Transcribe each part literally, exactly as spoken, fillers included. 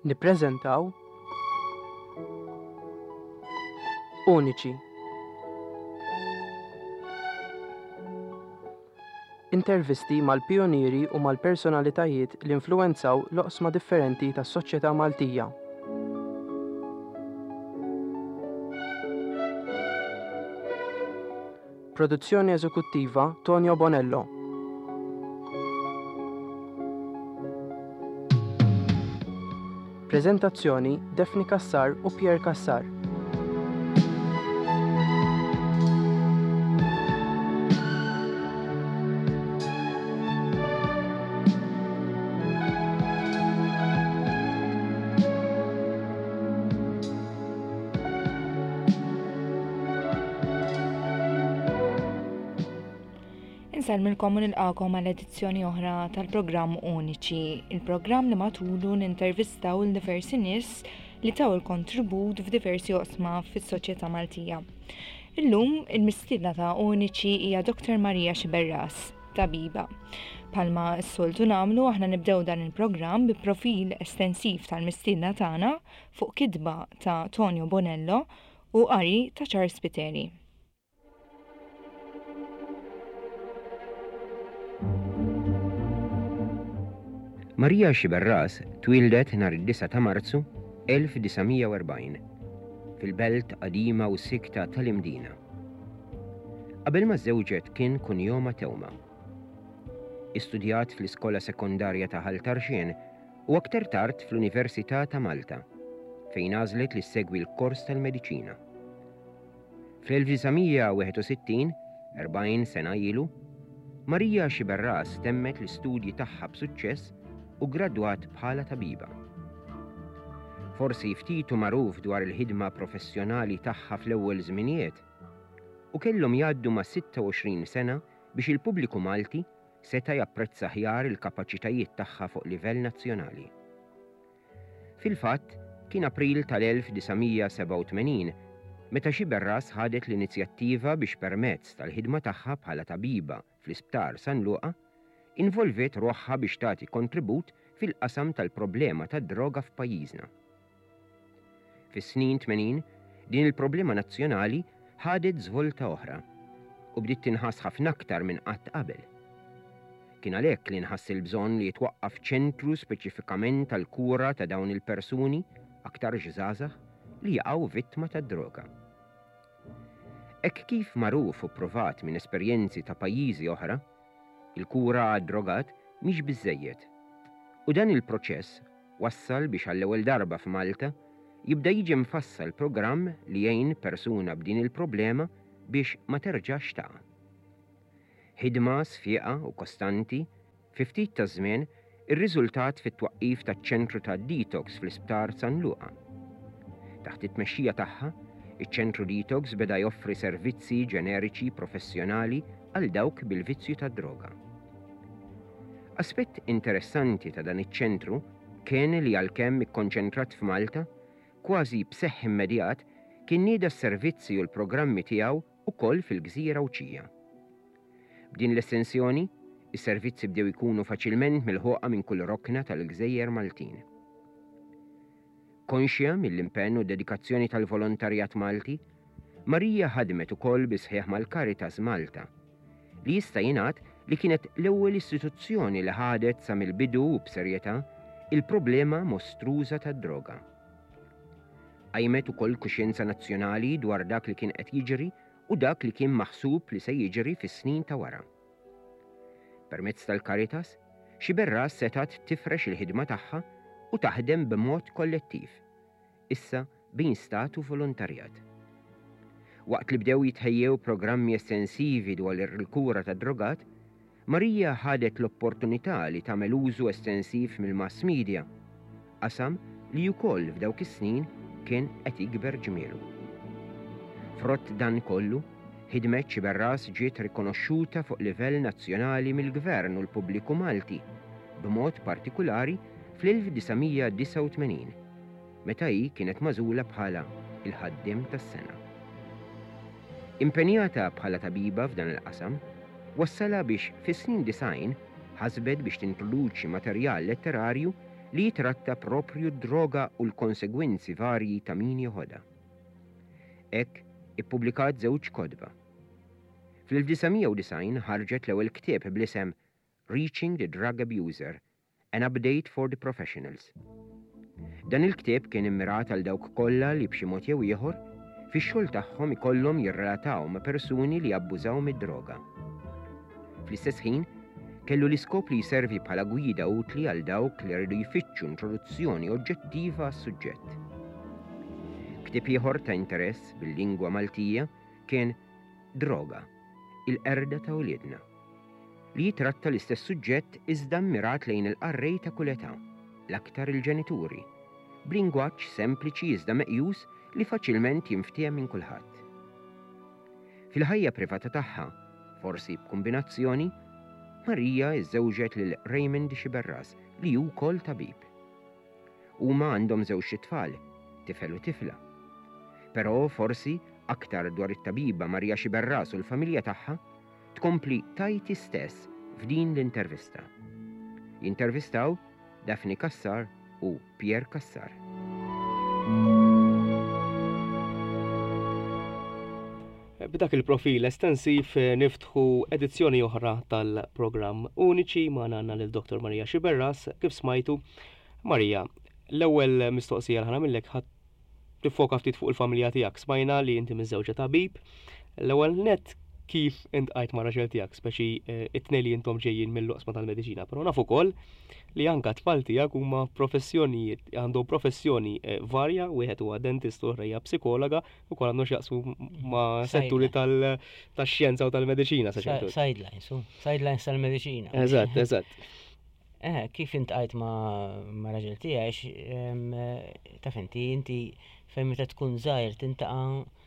Nippreżentaw Uniċi. Intervisti mal-pijunieri u mal-personalitajiet li influwenzaw l-oqsma differenti tas-soċjetà Maltija. Produzzjoni eżekuttiva Tonio Bonello. Preżentazzjoni Daphne Cassar u Pierre Cassar. Insellmilkom u nilqakom għal edizzjoni oħra tal-programm Uniċi, il-programm li matulu nintervistaw il diversi nies li taw il-kontribut f'diversi oqsma fis-soċjetà Maltija. Illum il-mistiedna ta' Uniċi hija Doktor Maria Sciberras, tabiba. Palma s-soltu nagħmlu, aħna nibdew dan il-programm bi profil estensiv tal-mistiedna tagħna fuq kitba ta' Tonio Bonello u qari ta' Charles Spiteri. Maria Sciberras twieldet nhar id-disgħa ta' Marzu elf disa' mija u erbgħin fil-belt qadima u sikta tal-Imdina. Qabel ma żewġet kien kunjoma Tewma. Istudjat fl-iskola sekondarja ta' Ħal Tarxien u aktar tard fl-Università ta' Malta, fejn għażlet li ssegwi l-kors tal-mediċina. Fl-elf disa' mija u wieħed u sittin, erbgħin sena ilu, Maria Sciberras temmet l-istudji tagħha b'suċċess u gradwat bħala tabiba. Forsi ftitu magħruf dwar il-ħidma professjonali tagħha fl-ewwel żminijiet, u kellhom jgħaddu ma' sitta u għoxrin sena biex il-pubbliku Malti seta' japprezza ħjar il-kapaċitajiet tagħha fuq livell nazzjonali. Fil-fatt, kien April tal-elf disa' mija sebgħa u tmenin meta Sciberras ħadet l-inizjattiva biex permezz tal-ħidma tagħha bħala tabiba fl-Isptar San Luqa involviet ruħha biex tagħti kontribut fil-qasam tal-problema tad-droga f'pajjiżna. Fis-snin tmenin, din il-problema nazzjonali ħadet żvolta oħra u bdiet tinħass ħafna aktar minn qatt qabel. Kien għalhekk li nħass il-bżonn li jitwaqqaf ċentru speċifikament tal-kura ta' dawn il-persuni aktar żgħażagħ li jaqgħu vittma tad-droga. Hekk kif magħruf u pprovat minn esperjenzi ta' pajjiżi oħra, il-kura għad-drogat mhix biżżejjed. U dan il-proċess wassal biex għall-ewwel darba f'Malta jibda jiġi mfassal programm li jgħin persuna b'din il-problema biex ma terġax taqa'. Ħidma sfiqa u kostanti, fi ftit ta' żmien irriżultat fit-twaqqif taċ-ċentru ta' detox fl-Isptar San Luqa. Taħt it-tmexxija tagħha, iċ-ċentru detox beda joffri servizzi ġeneriċi professjonali għal dawk bil-vizzju tad-droga. Aspett interessanti ta' dan iċ-ċentru kien li għalkemm ikkonċentrat f'Malta, kważi b'seħħ immedjat kien nieda s-servizzi u l-programmi tiegħu ukoll fil-Gżira Għawdxija. B'din l-estensjoni, is-servizzi bdew ikunu faċilment milħuqa minn kull rokna tal-Gżejjer Maltin. Konxja mill-impenn u dedikazzjoni tal-volontarjat Malti, Marija ħadmet ukoll bi sħiħ mal-Caritas Malta, li jista' jingħad li kienet l-ewwel istituzzjoni li ħadet sa mill-bidu u b'serjetà il-problema mostruża tad-droga. Qajmet ukoll kuxjenza nazzjonali dwar dak li kien qed jiġri u dak li kien maħsub li se jiġri fis-snin ta' wara. Permezz tal-Caritas, Sciberras setat tifrex il-ħidma tagħha u taħdem b'mod kollettiv, issa bejn stat u volontarjat. Waqt li bdew jitħejjew programmi estensivi dwar il-kura tad-drogat, Marija ħadet l-opportunità li tagħmel użu estensiv mill-mass media, qasam li wkoll f'dawk is-snin kien qed jikber ġmielu. Frott dan kollu, ħidmet Sciberras ġiet rikonoxxuta fuq livell nazzjonali mill-Gvern u l-pubbliku Malti, b'mod partikulari fl-elf disa' mija disgħa u tmenin, meta hi kienet magħżula bħala il-ħaddiem tas-sena. Impenjata bħala tabiba f'dan il-qasam, wassala biex fis-snin disgħin ħasbet biex tintroduċi materjal letterarju li jitratta proprju d-droga u l-konsegwenzi varji ta' min joħodha. Hekk ippubblikat żewġ kotba. Fl-elf disa' mija u disgħin ħarġet l-ewwel ktieb bl-isem Reaching the Drug Abuser, An Update for the Professionals. Dan il-ktieb kien immirat għal dawk kollha li b'xi mod jew ieħor fix-xogħol tagħhom ikollhom jirrelataw ma' persuni li abbużaw mid-droga. Fl-istess ħin, kellu l-iskop li jservi bħala gwida utli għal dawk li rridu jfittxu introduzzjoni oġġettiva għas-suġġett. Ktieb ieħor ta' interess bil-lingwa Maltija kien Droga, il-qerda ta' uliedna, li jitratta l-istess suġġett iżda mmirat lejn il-qarrej ta' kull età, l-aktar il-ġenituri, b'lingwaġġ sempliċi iżda meqjus li faċilment jinftiehem minn kulħadd. Fil-ħajja privata tagħha, forsi b'kombinazzjoni, Marija iżżewġet lil Raymond Sciberras, li hu wkoll tabib. Huma għandhom żewġ tfal, tifel u tifla. Però forsi aktar dwar it-tabiba Marija Sciberras u l-familja tagħha tkompli tgħid hi stess f'din l-intervista. Jintervistaw Daphne Cassar u Pierre Cassar. B'dak il-profil estensiv eh, niftħu edizzjoni oħra tal-programm Uniċi. Magħna għandna lil Dottor Maria Sciberras, kif smajtu. Maria, l-ewwel mistoqsija li ħa nagħmillek ħa tiffoka ftit fuq il-familja tiegħek. Smajna li inti miżżewġa tabib. L-ewwel net, kif iltqajt ma' raġel tiegħek, speċi eh, it-tnejn li intom ġejjin mill-oqsma tal-mediċina, però naf ukoll li anka tfal tiegħek huma professjonijiet, għandhom professjoni eh, varja, wieħed huwa dentist u oħra hija psikologa, ukoll għandhom x'jaqsmu ma' setturi tax-xjenza u tal-mediċina sa ċertu. Sidelines, u sidelines tal-mediċina. Eżatt, eżatt. Eh, kif iltqajt ma' ma' raġel tiegħi, eh, taf inti, inti fejn meta tkun żgħir tiltaqa'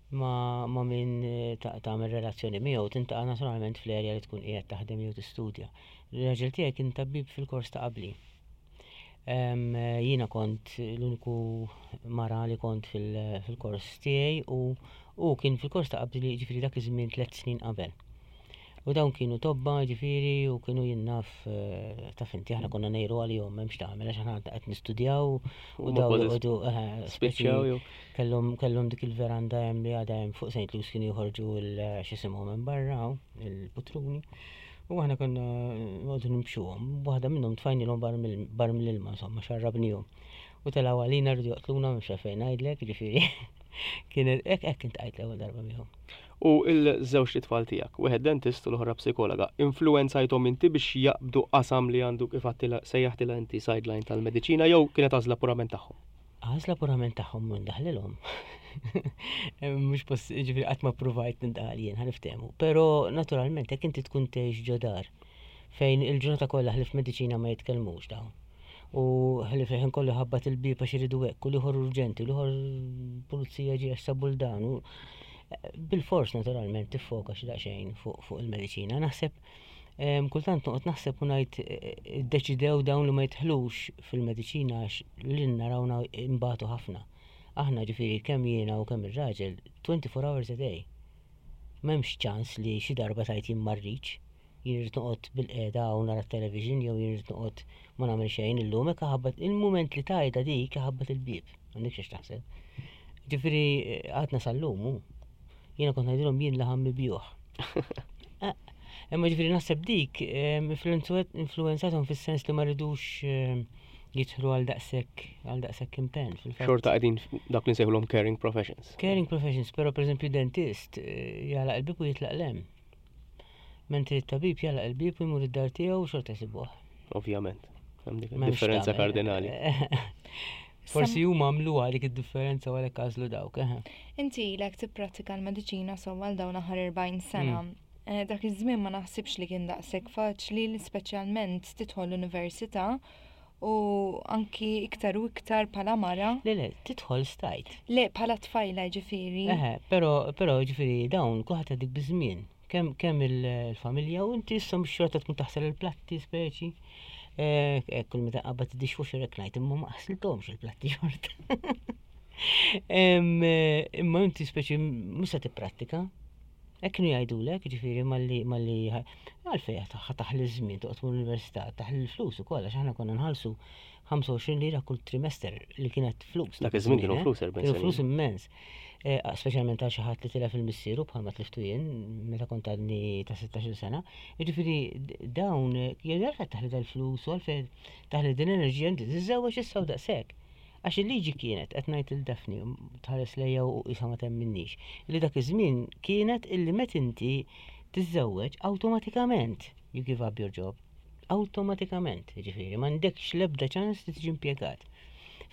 ma' ma' min eh, tagħmel relazzjoni miegħu, tiltaqa' naturalment fl-erja li tkun qiegħed taħdem jew tistudja. Ir-raġel tiegħi kien tabib fil-kors ta' qabli. Jiena kont l-uniku mara li kont fil-kors tiegħi u u kien fil-kors ta' qabli, ġifieri dak iż-żmien tliet snin qabel. U dawn kienu tobba, ġifieri, u kienu jien naf, eh, taf inti, aħna konna ngħiru għalihom, m'hemmx tagħmel, għax aħna qed nistudjaw u dawn joqogħdu eh, spiċċaw. kellhom kellhom dik il-veranda hemm li għadha hemm fuq Saint Luke's, kienu joħorġu l-x'isimhom hemm barra, il-putruni. U aħna konna noqogħdu nimxuhom. Waħda minnhom tfajnilhom bar mill-ilma, insomma, xarrabnihom. U telgħu għalina, rridu joqtluna, mhux fejn ngħidlek, ġifieri. Kienet hekk, hekk iltqajt l-ewwel darba miegħhom. U il-żewġ tfal tiegħek, wieħed dentist u l-oħra psikologa, influenzajthom inti biex jaqbdu qasam li għandu, kif sejjaħtilha inti, sideline tal-mediċina, jew kienet għażla purament tagħhom? Għażla purament tagħhom, minn daħlilhom. Mhux poss, ġifieri qatt ma provajt nindaħal jien, ħa niftehmu. Però naturalment jekk inti tkun tgħix ġo dar fejn il-ġurnata kollha ħlief mediċina ma jitkellmux dawn. U ħlief ħin kollu ħabbat il-bieb għax iridu hekk, u l-ieħor urġenti, u l-ieħor pulizija ġie għax sabu l-dan. Bil-fors naturalment tiffoka xi daqsxejn fuq il-mediċina. Naħseb kultant noqgħod naħseb u ngħid eh, iddeċidew dawn li ma jidħlux fil-mediċina għax li narawna imbatu ħafna. Aħna, ġifieri, kemm jiena u kemm ir-raġel, twenty-four hours a day. M'hemmx ċans li xi darba tgħid jien ma rridx, jien irrid noqgħod bil-qiegħda u nara t-television jew jien irrid noqgħod ma nagħmel xejn illum, hekk ħabbat il-mument li tgħidha dik, ħabbat il-bieb, m'għandekx x'taħseb. Ġifieri għadna sal-lum, jiena kont ngħidilhom jien laħam mibjugħ. Eh, imma ġifieri naħseb dik influenzathom fis-sens li ma rridux jidħlu għal daqshekk għal daqshekk impenn fil-fatt. Xorta qegħdin dak li nsejħulhom caring professions. Caring professions, però pereżempju dentist eh, jagħlaq il-bieb u jitlaq 'l hemm. Mentri t-tabib jagħlaq il-bieb u jmur id-dar tiegħu u xorta jsibuh. Ovvjament. Hemm dik differenza kardinali. Forsi huma għamluha dik id-differenza u għalhekk għażlu dawk. Inti ilek tipprattika l-mediċina so għal dawn aħħar erbgħin sena. Mm. Eh, dak iż-żmien ma naħsibx li kien daqshekk faċli li speċjalment tidħol l-università u anki iktar u iktar bħala mara. Le, le, tidħol stajt. Le, bħala tfajla ġifieri. Eħe, però, però ġifieri dawn kulħadd dik biż-żmien. Kemm kemm il-familja u inti issa mhux xorta tkun taħsel il-platti speċi. Eh, kull meta qabad id-dishwasher hekk ngħid, imma ma ħsilthomx il-platti xorta. Imma inti speċi mhux se tipprattika. Hekk kienu jgħidulek, ġifieri malli malli għalfejn taħli żmien toqgħod l-università, taħli l-flus ukoll għax aħna konna nħallsu ħamsa u għoxrin lira kull trimester li kienet flus. Dak iż-żmien kienu eh? flus erbgħin Kienu snin. flus immens. Eh, Speċjalment għal xi ħadd li tilef il-missieru bħalma tliftu jien meta kont għadni ta' sittax-il sena. Jiġifieri dawn jgħidu għalfejn taħli dal-flus u għalfejn taħli din l-enerġija, inti tiżżewweġ issa u daqshekk. Għax il-liġi kienet, qed ngħid lil Daphne, tħares lejja u isa ma temminix, li dak iż-żmien kienet illi meta inti tiżżewweġ awtomatikament you give up your job. Awtomatikament, ġifieri, m'għandekx l-ebda ċans li tiġi impjegat.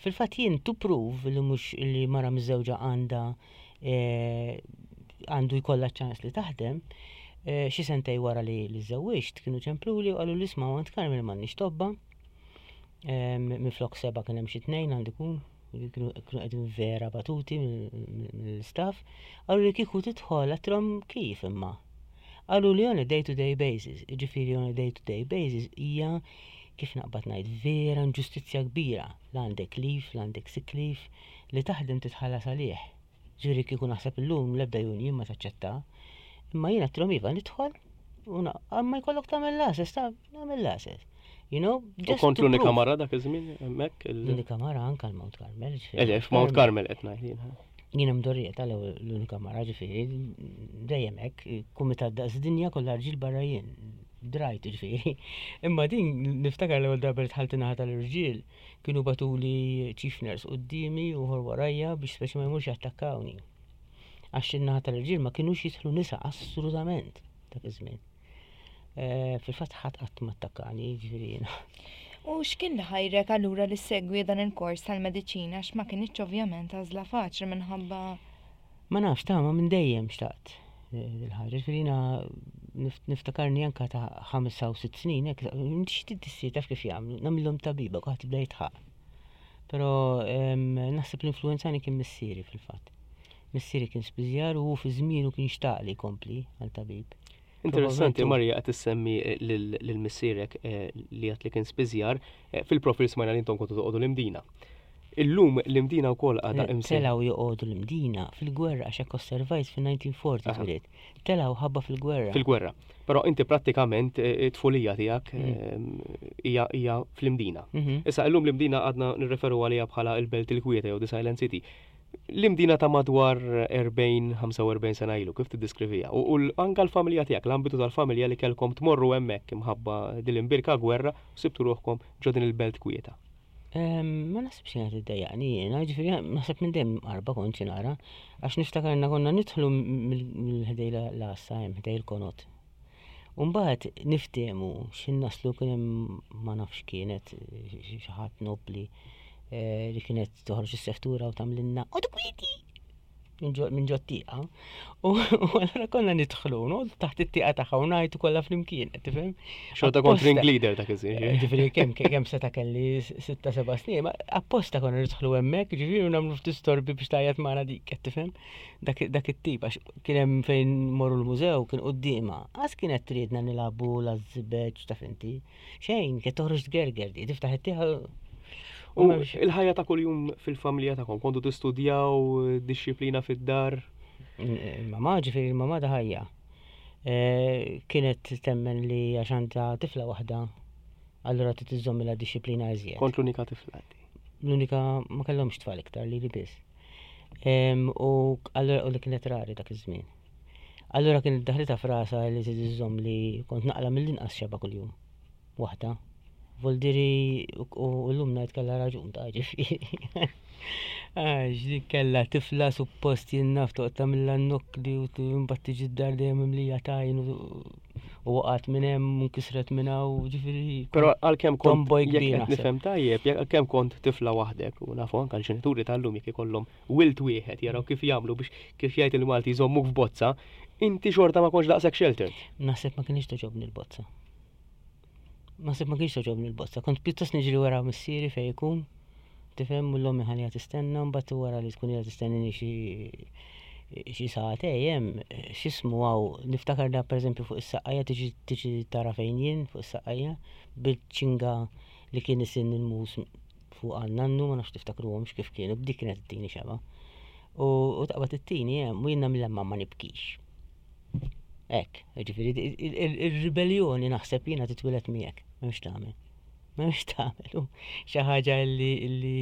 Fil-fatt jien to prove li mhux li mara miżżewġa għandha eh, għandu jkollha ċans li taħdem, eh, xi sentej wara li li żewwiġt kienu ċempluli u qalu li isma' għand Carmel m'għandniex tobba. Minflok seba' kien hemm xi tnejn għandu jkun, kienu kienu qegħdin vera batuti mill-staff. Qalu li kieku tidħol, għedtilhom kif imma. Qalu li on a day-to-day basis, ġifieri on a day-to-day basis hija, kif naqbad ngħid, vera inġustizzja kbira. La għandek leave, la għandek sick leave, li taħdem titħallas għalih. Ġifieri kieku naħseb illum l-ebda union ma taċċetta. Imma jiena għedtilhom iva nidħol, u na- ma jkollok tagħmel l-għases, ta' nagħmel l-għases. You know, U just kont to l-unika prove. mara dak iż-żmien hemmhekk? il- L-unika mara anka l-Mount Carmel. Ġifieri. Ele, f'Mount Carmel qed ngħid jien. Jiena mdorrija tal-ewwel l-unika mara, ġifieri, dejjem hekk, kumitat daqs dinja kollha rġiel barra jien. Drajt, ġifieri. Imma din niftakar l-ewwel darba li dħalt naħa tal-irġiel, kienu bagħtuli chief nurse quddiemi u ieħor warajja biex speċi ma jmurx jattakkawni. Għax in-naħa tal-irġiel ma kinux jidħlu nisa assolutament dak iż-żmien. Eh, Fil-fatt ħadd qatt ma attakkani, ġifieri jiena. U x'kien li ħajrek allura li segwi dan il-kors tal-mediċina, għax ma kinitx ovvjament għażla faċli minħabba Ma nafx ta' ma minn dejjem xtaqt eh, dil-ħaġa. Ġifieri jiena nif- niftakarni anka ta' ħames u sitt snin, hekk, inti xi tissir taf kif jagħmlu, nagħmilhom tabiba, kulħadd jibda jidħaq. Però em, naħseb l-influenzani kien missieri fil-fatt. Missieri kien spiżjar u fi żmienu kien xtaq li jkompli għal tabib. Interessanti, Probabilment. Marija, qed issemmi eh, lil lil missierek eh, li għat li kien spiżjar, eh, fil-profil smajna li intom kontu toqgħodu l-Imdina. Illum l-Imdina wkoll għadha imsejħa. Telgħu joqogħdu l-Imdina fil-gwerra għax hekk osservajt fil-elf disa' mija u erbgħin Aha. twielidt. Telgħu ħabba fil-gwerra. Fil-gwerra. Però inti prattikament eh, it-tfulija tiegħek Mm. eh, hija hija fl-Imdina. Mhm. Issa illum l-Imdina għadna nirreferu għalija bħala il-Belt il-Kwieta jew the Silent City. L-Imdina ta' madwar erbgħin ħamsa u erbgħin sena ilu, kif tiddiskrivija? U u l- anka l-familja tiegħek, l-ambitu tal-familja li kellkom tmorru hemmhekk imħabba dil-imbirka gwerra u sibtu ruħkom ġo din il-Belt Kwieta. Em, Ma naħsibx kienet iddejjaqni jiena, ġifieri naħseb minn dejjem qarba kont xi nara, għax niftakarna konna nidħlu mill-ħdej l-għassa hemm ħdej il-konot. U mbagħad niftehmu x'in naslu kien hemm ma nafx kienet xi ħadd nobli eh, li kienet toħroġ is-seftura u tagħmlilna "Oqogħdu kwieti" minn ġo tieqa. U u allura konna nidħlu, noqogħdu taħt it-tieqa tagħha u ngħajtu kollha flimkien, qed tifhem? Xorta kont Apposta. ring leader dak iż-żmien. Ġifieri kemm kemm seta' kelli sitta seba' snin, ma apposta konna nidħlu hemmhekk, ġifieri u nagħmlu ftit storbi biex tgħajjat magħna dik, qed tifhem? Dak dak it-tip għax kien hemm fejn morru l-mużew kien quddiemha. Għas kienet tridna nilagħbu l-żbeġ taf inti. Xejn, kien toħroġ tgerger di, tiftaħ it-tieqa. U il-ħajja ta' kuljum fil-familja tagħkom, kontu tistudjaw dixxiplina fid-dar? Il-mama, ġifieri il-mama da ħajja. Eh, Kienet temmen li għax għandha tifla waħda, allura trid iżżommilha dixxiplina iżjed. Kont l-unika tifla inti. L-unika, ma kellhomx tfal iktar li li biss. Em, U allura u li kienet rari dak iż-żmien. Allura kienet daħlitha f'rasha li trid iżżomm li kont naqla mill-inqas xebgħa kuljum. Waħda. Voldiri u u llum ngħid kellha raġun ta' ġifieri. Għax dik kellha tifla suppost jien naf toqgħod tagħmilha n-nokkli u t- mbagħad tiġi d-dar dejjem mimlija tajn u u waqgħet minn hemm u nkisret minn hawn, ġifieri. Però għalkemm kont Tomboy jekk kbir qed naħseb. nifhem tajjeb, jekk għalkemm kont tifla waħdek u nafu anke l-ġenituri tal-lum jekk ikollhom wild wieħed jaraw kif jagħmlu biex, kif jgħid il-Malti, jżommuk f'bozza, inti xorta ma kontx daqshekk sheltered. Naħseb ma kienx togħġobni l-bozza. Naħseb ma kienx togħġobni l-bozza. Kont pjuttost niġri wara missieri fejn ikun. Tifhem, u l-ommi ħalliha tistenna, mbagħad wara li tkun ilha tistennini xi xi sagħtej hemm x'ismu hawn, niftakar da pereżempju fuq is-saqqajja tiġi tiġi tara fejn jien fuq is-saqqajja bil-ċinga li kien isin il-mus fuq għan-nannu, ma nafx tiftakruhomx kif kienu, b'dik kienet ittini xebgħa. U u taqbad ittini hemm u jien nagħmilha ma ma nibkix. Hekk, jiġifieri ir-ribellioni naħseb jiena titwieled miegħek, m'hemmx tagħmel. M'hemmx tagħmel, xi ħaġa li li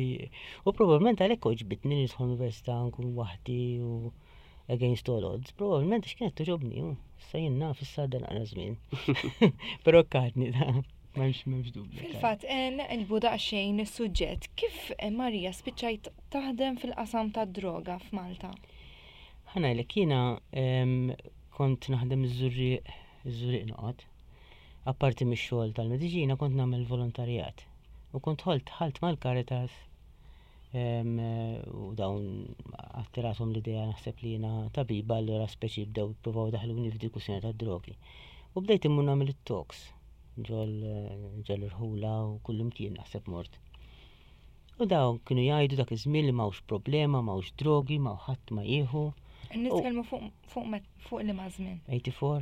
u probabbilment għalhekk għoġbitni nidħol università nkun waħdi u against all odds, probabbilment għax kienet togħġobni, issa jien naf issa għadda naqra żmien. Però kadni da. M'hemmx m'hemmx dubju. Fil-fatt, eh, naqilbu daqsxejn is-suġġett. Kif eh, Marija spiċċajt taħdem fil-qasam tad-droga f'Malta? Ħa ngħidlek jiena kont naħdem iż-Żurrieq, iż-Żurrieq noqgħod. Apparti mix-xogħol tal-mediċina kont nagħmel volontarjat. U kont ħolt ħalt mal-Caritas u dawn attirathom l-idea naħseb li jiena tabiba allura speċi bdew jippruvaw daħluni f'dik kwistjoni tad-drogi. U bdejt immur nagħmel it-talks ġol ġol irħula u kullimkien naħseb mort. U dawn kienu jgħidu dak iż-żmien li m'hawnx problema, m'hawnx drogi, m'hawn ħadd ma jieħu. Nitkellmu fuq fuq fuq liema żmien. tminja u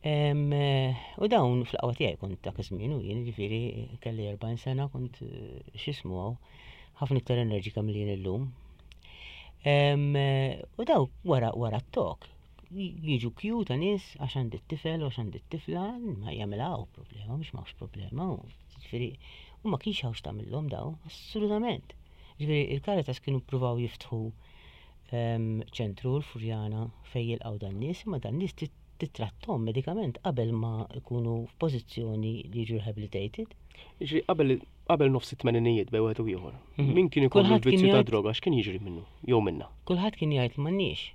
tmenin. U dawn fl-qawwa tiegħi kont dak iż-żmien u jien ġifieri kelli erbgħin sena kont x'ismu hawn ħafna iktar enerġika milli jien illum. U daw wara wara t-talk jiġu kju ta' nies għax għandi t-tifel u għax għandi t-tifla ma jagħmilha problema, mhux m'hawnx problema. Ġifieri u ma kienx hawn x'tagħmilhom daw, assolutament. Ġifieri il-Caritas kienu ppruvaw jiftħu ċentru l-Furjana fejn jilqgħu dan nies, imma dan nies tittrattom medikament qabel ma jkunu f'pożizzjoni li jiġu rehabilitated. Jiġri qabel qabel nofs it-tmeninijiet bejn wieħed u ieħor. Mhm. Min kien ikollu l-vizzju ta' droga x'kien jiġri minnu jew minna? Kulħadd kien jgħid m'għandniex.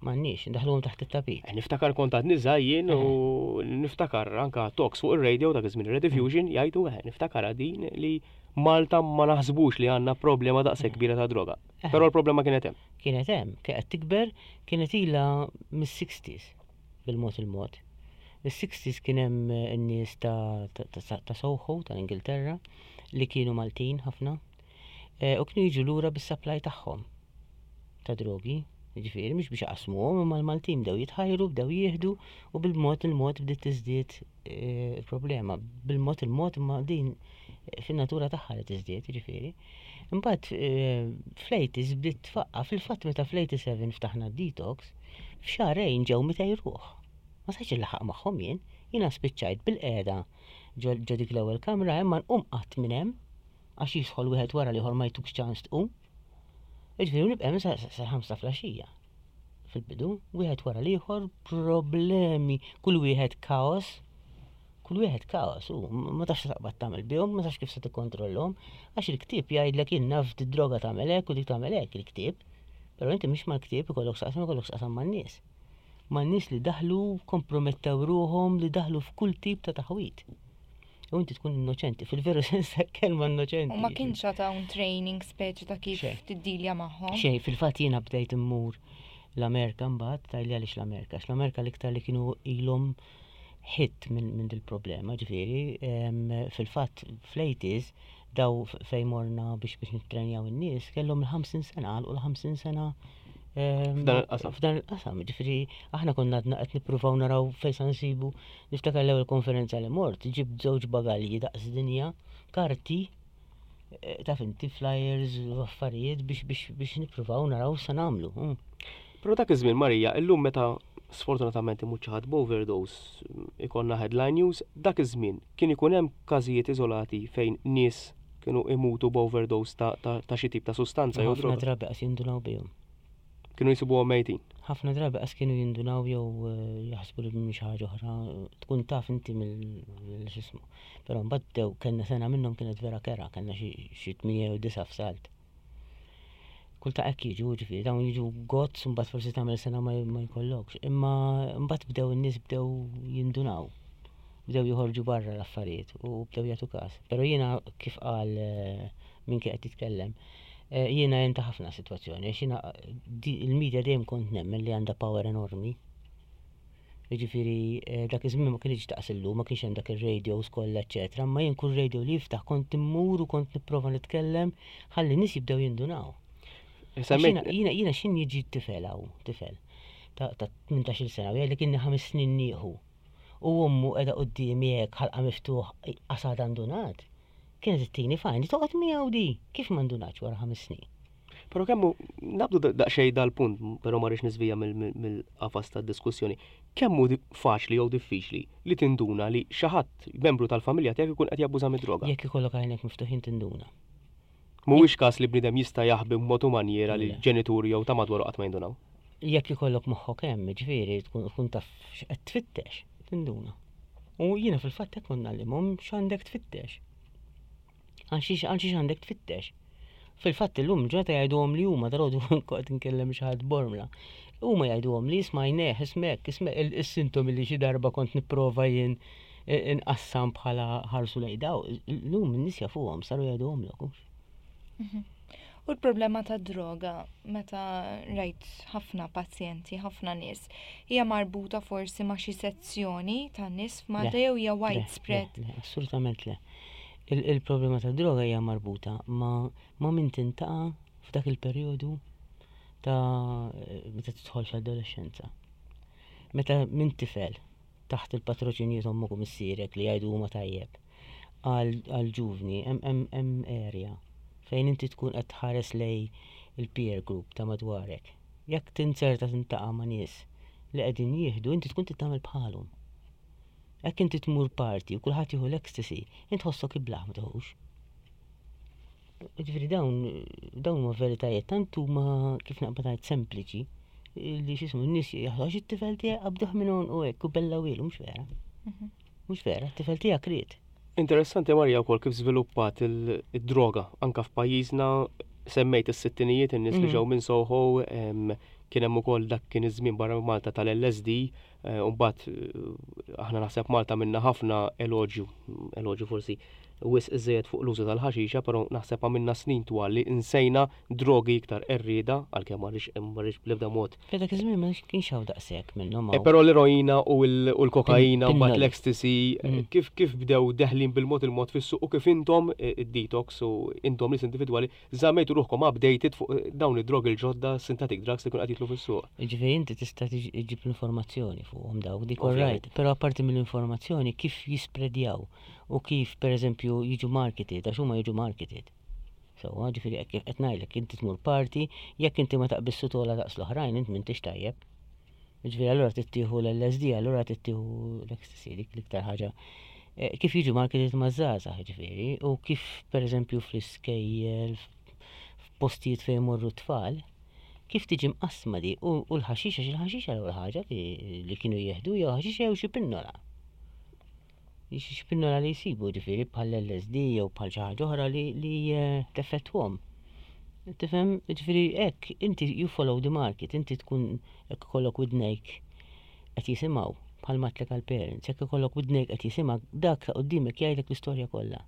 M'għandniex, ndaħluhom taħt it-tapit. Eh, niftakar kont għadni żgħir u niftakar anka talks fuq ir-radio dak iż-żmien Rediffusion jgħidu eh, niftakar din li Malta ma naħsbux li għandna problema daqshekk kbira ta' droga. Però l-problema kienet hemm. Kienet hemm, kienet tikber, kienet ilha mis-sixties bil-mod il-mod. Is-sixties kien hemm n-nies ta', ta, ta, ta' Soho tal-Ingilterra li kienu Maltin ħafna eh, u kienu jiġu lura bis-supply tagħhom ta' drogi. Ġifieri mhux biex jaqsmuhom, imma l-Maltin bdew jitħajru, bdew jieħdu u bil-mod il-mod bdiet tiżdied eh, il-problema. Bil-mod il-mod imma din fin-natura tagħha li tiżdied, ġifieri. Imbagħad eh, fl-eighties bdiet tfaqqa, fil-fatt meta fl-eighty-seven ftaħna detox, f'xahrejn ġew mitejn ruħ. Ma stajtx inlaħħaq magħhom jien, jiena spiċċajt bil-qiegħda ġo dik l-ewwel kamra imma nqum qatt minn hemm għax jidħol wieħed wara l-ieħor ma jtukx ċans tqum. Ġifieri nibqa' hemm sa ħamsa filgħaxija. Fil-bidu, wieħed wara l-ieħor, problemi, kull wieħed kaos, kull wieħed kaos, u ma tafx taqbad tagħmel bihom, ma tafx kif se tikkontrollhom, għax il-ktieb jgħidlek jien naf d-droga tagħmel hekk u dik tagħmel hekk il-ktieb. Però inti mhix mal-ktieb ikollok x'taqsam, ikollok x'taqsam man-nies. Man-nies li daħlu, kompromettew ruħhom, li daħlu f'kull tip ta' taħwit. U inti tkun innoċenti, fil-veru sens ta' kelma innoċenti. U ma kienx ta' un training speċi ta' kif tiddilja magħhom? Xejn, fil-fatt jiena bdejt immur l-Amerika mbagħad, tgħidli għaliex l-Amerika, għax l-Amerika l-iktar li kienu ilhom hit minn min dil-problema, ġifieri, fil-fatt fl-eighties daw fejn morna biex biex nittrenjaw in-nies kellhom il-ħamsin sena, għalqu l-ħamsin sena f'dan il-qasam. F'dan il-qasam, ġifieri aħna konna għadna qed nippruvaw naraw fejn sa nsibu. Niftakar l-ewwel konferenza li mort, ġibt żewġ bagalji daqs dinja, karti, taf inti flyers u affarijiet biex biex biex nippruvaw naraw sa nagħmlu. Però dak iż-żmien Marija, illum meta sfortunatament imut xi ħadd b'overdose ikollna headline news, dak iż-żmien kien ikun hemm każijiet iżolati fejn nies kienu imutu b'overdose ta', ta, ta' xi tip ta' sustanza jew Ħafna droga. drabi qas jindunaw bihom. Kienu jsibuhom mejtin. Ħafna drabi qas kienu jindunaw jew jaħsbu li mhix ħaġa oħra, tkun taf inti mill x'ismu. Però mbagħad bdew kellna sena minnhom kienet vera kera, kellna xi tmien jew disa' f'salt. Kull ta' hekk jiġu, ġifieri, dawn jiġu gozz, mbagħad forsi tagħmel sena ma jkollokx. Imma mbagħad bdew in-nies bdew jindunaw. Bdew joħorġu barra l-affarijiet u bdew jagħtu każ. Però jiena kif qal min kien qed jitkellem, jiena jenta ħafna sitwazzjoni, għax jiena il-medja dejjem kont nemmen li għandha power enormi. Jiġifieri dak iż-żmien ma kienx daqs illum, ma kienx hemm dak ir-radios kollha, eċċetera, imma jien kull radio li jiftaħ kont immur u kont nipprova nitkellem ħalli n-nies jibdew jindunaw. Semmejt- Jiena jiena x'in jiġi tifel hawn, tifel ta' tmintax-il sena u jgħidlek inni ħames snin nieħu. U ommu qiegħda quddiemi hekk ħalqa miftuħ qasad ndunat. Kienet ittini fajn, toqgħod miegħu di, kif ma ndunatx wara ħames snin? Però kemm hu, nabdu daqsxejn dal-punt, però ma rridx niżvija mill-qafas tad-diskussjoni. Kemm hu faċli jew diffiċli li tinduna li xi ħadd membru tal-familja tiegħek ikun qed jabbuża mid-droga? Jekk ikollok għajnek miftuħin tinduna. Mhuwiex każ li bniedem jista' jaħbi b'mod u manjiera li l-ġenituri jew ta' madwaru qatt ma jindunaw. Jekk ikollok moħħok hemm, ġifieri tkun taf x'qed tfittex, tinduna. U jiena fil-fatt hekk kont ngħallimhom x'għandek tfittex. Għal xiex għandek tfittex. Fil-fatt illum ġurnata jgħiduhom li huma dalgħodu kont nkellem xi ħadd Bormla. Huma jgħiduhom li ismajneh, ismek, ismek is-sintomi li xi darba kont nipprova jien inqassam bħala ħarsu lejn daw. Illum in-nies jafuhom saru jgħiduhomlok. Mhm. U l-problema ta' droga, meta rajt ħafna pazjenti, ħafna nies, hija marbuta forsi ma' xi sezzjoni ta' nies f'Malta jew hija widespread? Le, assolutament le. Il-problema ta' droga hija marbuta ma' ma' min tintaqa' f'dak il-perjodu ta' meta tidħol fl-adolescenza. Meta minn tifel taħt il-patroċinju t'ommok u missierek li jgħidu huma tajjeb għal ġuvni hemm area fejn inti tkun qed tħares lej il-peer group ta' madwarek. Jekk tinzerta tintaqa' ma' nies li qegħdin jieħdu, inti tkun titgħamel bħalhom. Jekk inti tmur party u kulħadd jieħu l-ecstasy, int tħossok iblaħ ma tieħux. Ġifieri dawn dawn huma veritajiet tant huma kif naqbad ngħid sempliċi li x'ismu n-nies jaħdu għax it-tifel tiegħek qabduh minn u hekk u bella wielu, mhux vera. Mhm. Mhux vera, t-tifel tiegħek ried. Interessanti Marja wkoll kif żviluppat id-droga anka f'pajjiżna, semmejt is-sittinijiet, in-nies li Mhm. ġew minn Soho, kien hemm ukoll dak kien iż-żmien barra minn Malta tal-L S D, eh, u mbagħad eh, aħna naħseb Malta minna ħafna eloġju, eloġju forsi wisq iżejjed fuq l-użu tal-ħaxixa, però naħseb għamilna snin twal li insejna drogi iktar qerrieda, għalkemm ma rridx ma rridx bl-ebda mod. Dak iż-żmien ma kienx hawn daqshekk minnhom. Eh, Però l-eroina u l- u l-kokaina u mbagħad Pinnoli. l-ecstasy, eh, Mm. kif kif bdew deħlin bil-mod il-mod fis-suq u kif intom eh, id-detox u intom nies individwali żammejtu ruħkom updated fuq eh, dawn id-drogi l-ġodda, synthetic drugs li kun qed jitlu fis-suq? Ġifieri inti tista' tiġ- iġġib l-informazzjoni fuqhom dawk, dik Ovvjament. alright, però apparti mill-informazzjoni kif jispredjaw u kif pereżempju jiġu marketed, għax huma jiġu marketed. So, ġifieri hekk qed ngħidlek, inti tmur party, jekk inti ma taqbissu tola daqs l-oħrajn, int m'intix tajjeb. Ġifieri allura tittieħu l-L S D, allura tittieħu l-ecstasy, dik l-iktar ħaġa. Eh, Kif jiġu marketed maż-żgħażagħ ġifieri, u kif pereżempju fl-iskejjel, f'postijiet fejn imorru t-tfal, kif tiġi mqassma di u u l-ħaxixa, xi l-ħaxixa l-ewwel ħaġa li, li kienu jieħdu jew ħaxixa jew xi pinnola. Xi pinnola li jsibu ġifieri bħal L S D jew bħal xi ħaġa oħra li, li eh, teffettwhom. Tifhem, ġifieri hekk inti you follow the market, inti tkun hekk ikollok widnejk qed jisimgħu bħal matlek għal parents, jekk ikollok widnejk qed jisimgħu, dak ta' qudiemek jgħidlek l-istorja kollha.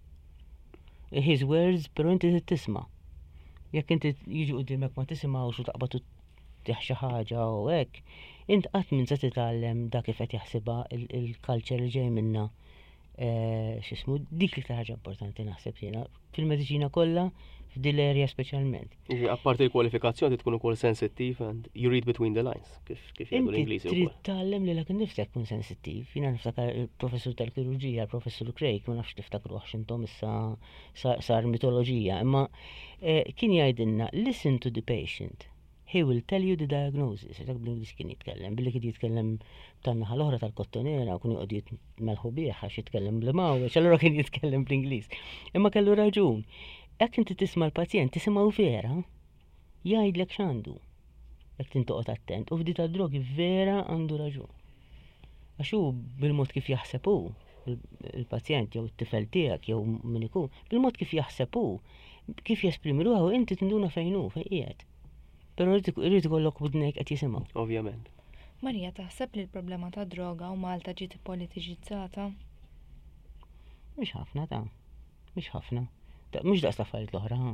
His words, però inti trid tisma'. Jekk inti jiġu qudiemek ma tisimgħux u taqbad u tieħ xi ħaġa u hekk, int qatt minn se titgħallem dak kif qed jaħsibha il-culture li ġej minna. Eh, x'ismu, dik l-iktar ħaġa importanti naħseb jiena fil-mediċina kollha, f'dil area speċjalment. Jiġifieri, apparti l-kwalifikazzjoni tkun ukoll sensittiv and you read between the lines, kif kif jgħidu Inti l-Ingliżi trid wkoll. tgħallem lilek innifsek tkun sensittiv. Jiena niftakar il-professur tal-kirurġija, il-professur Craig, ma nafx tiftakruh x'intom issa sa- sar mitoloġija, imma eh, kien jgħidilna: "Listen to the patient. He will tell you the diagnosis." Dak bl-Ingliż kien jitkellem, billi kien jitkellem tan-naħa l-oħra tal-Kottonera u kien joqgħod jitmelħu bih għax jitkellem bl-Mawweġ, allura kien jitkellem bl-Ingliż. Imma kellu raġun. Jekk inti tisma' l-pazjent, tisimgħu vera, jgħidlek x'għandu. Jekk tintoqgħod attent, u f'di tad-drogi vera għandu raġun. Għax hu bil-mod kif jaħseb hu, il-pazjent jew it-tifel tiegħek jew min ikun, bil-mod kif jaħseb hu, kif jesprimi ruħu, inti tinduna fejn hu, fejn qiegħed. Però irid ikollok widnejk qed jisimgħu. Ovvjament. Marija, taħseb li l-problema ta' droga u Malta ġiet politiċizzata? Mhux ħafna ta' mhux ħafna. Ta- Mhux daqs l-affarijiet l-oħra, ha.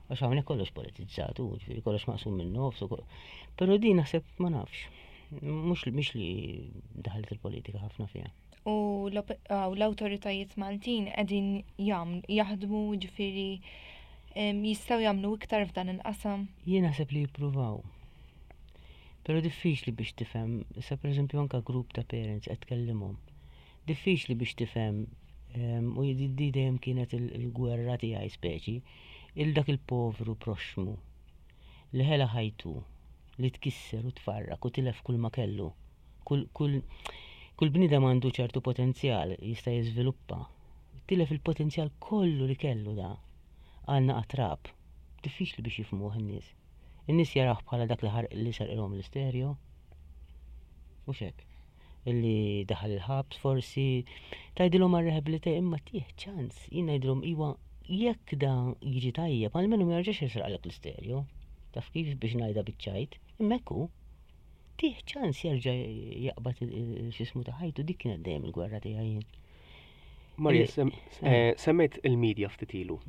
Għax hawnhekk kollox politizzat, u ġifieri kollox maqsum minn nofs u Però di naħseb ma nafx. Mhux mhix li daħlet il-politika ħafna fiha. U l-op- ah, u l-awtoritajiet Maltin qegħdin jagħmlu jaħdmu, ġifieri em, jistgħu jagħmlu iktar f'dan il-qasam? Jien naħseb li jippruvaw. Però diffiċli biex tifhem, issa pereżempju anka grupp ta' parents qed tkellimhom. Diffiċli biex tifhem em, u di di dejjem kienet il- il-gwerra tiegħi speċi, il dak il-povru proxmu. li ħela ħajtu, li tkisser u tfarrak u tilef kull ma kellu. Kull, kull, kull bniedem għandu ċertu potenzjal jista' jiżviluppa. Tilef il-potenzjal kollu li kellu da. Għal naqra trab. Diffiċli biex jifhmuh in-nies. In-nies jaraw bħala dak li ħarq li sarqilhom l-istereo. U hekk. Illi daħal il-ħabs forsi tgħidilhom għal rehabilitate imma tih ċans. Jien ngħidilhom iwa jekk da jiġi tajjeb, almenu ma jerġax jisraqlek l-istereo. Taf kif biex ngħidha biċ-ċajt, imma hekk hu. Tih ċans jerġa' jaqbad x'ismu ta' ħajtu, dik kienet dejjem il-gwerra tiegħi jien. Marija, Li- sem- eh, semmejt il-medja ftit ilu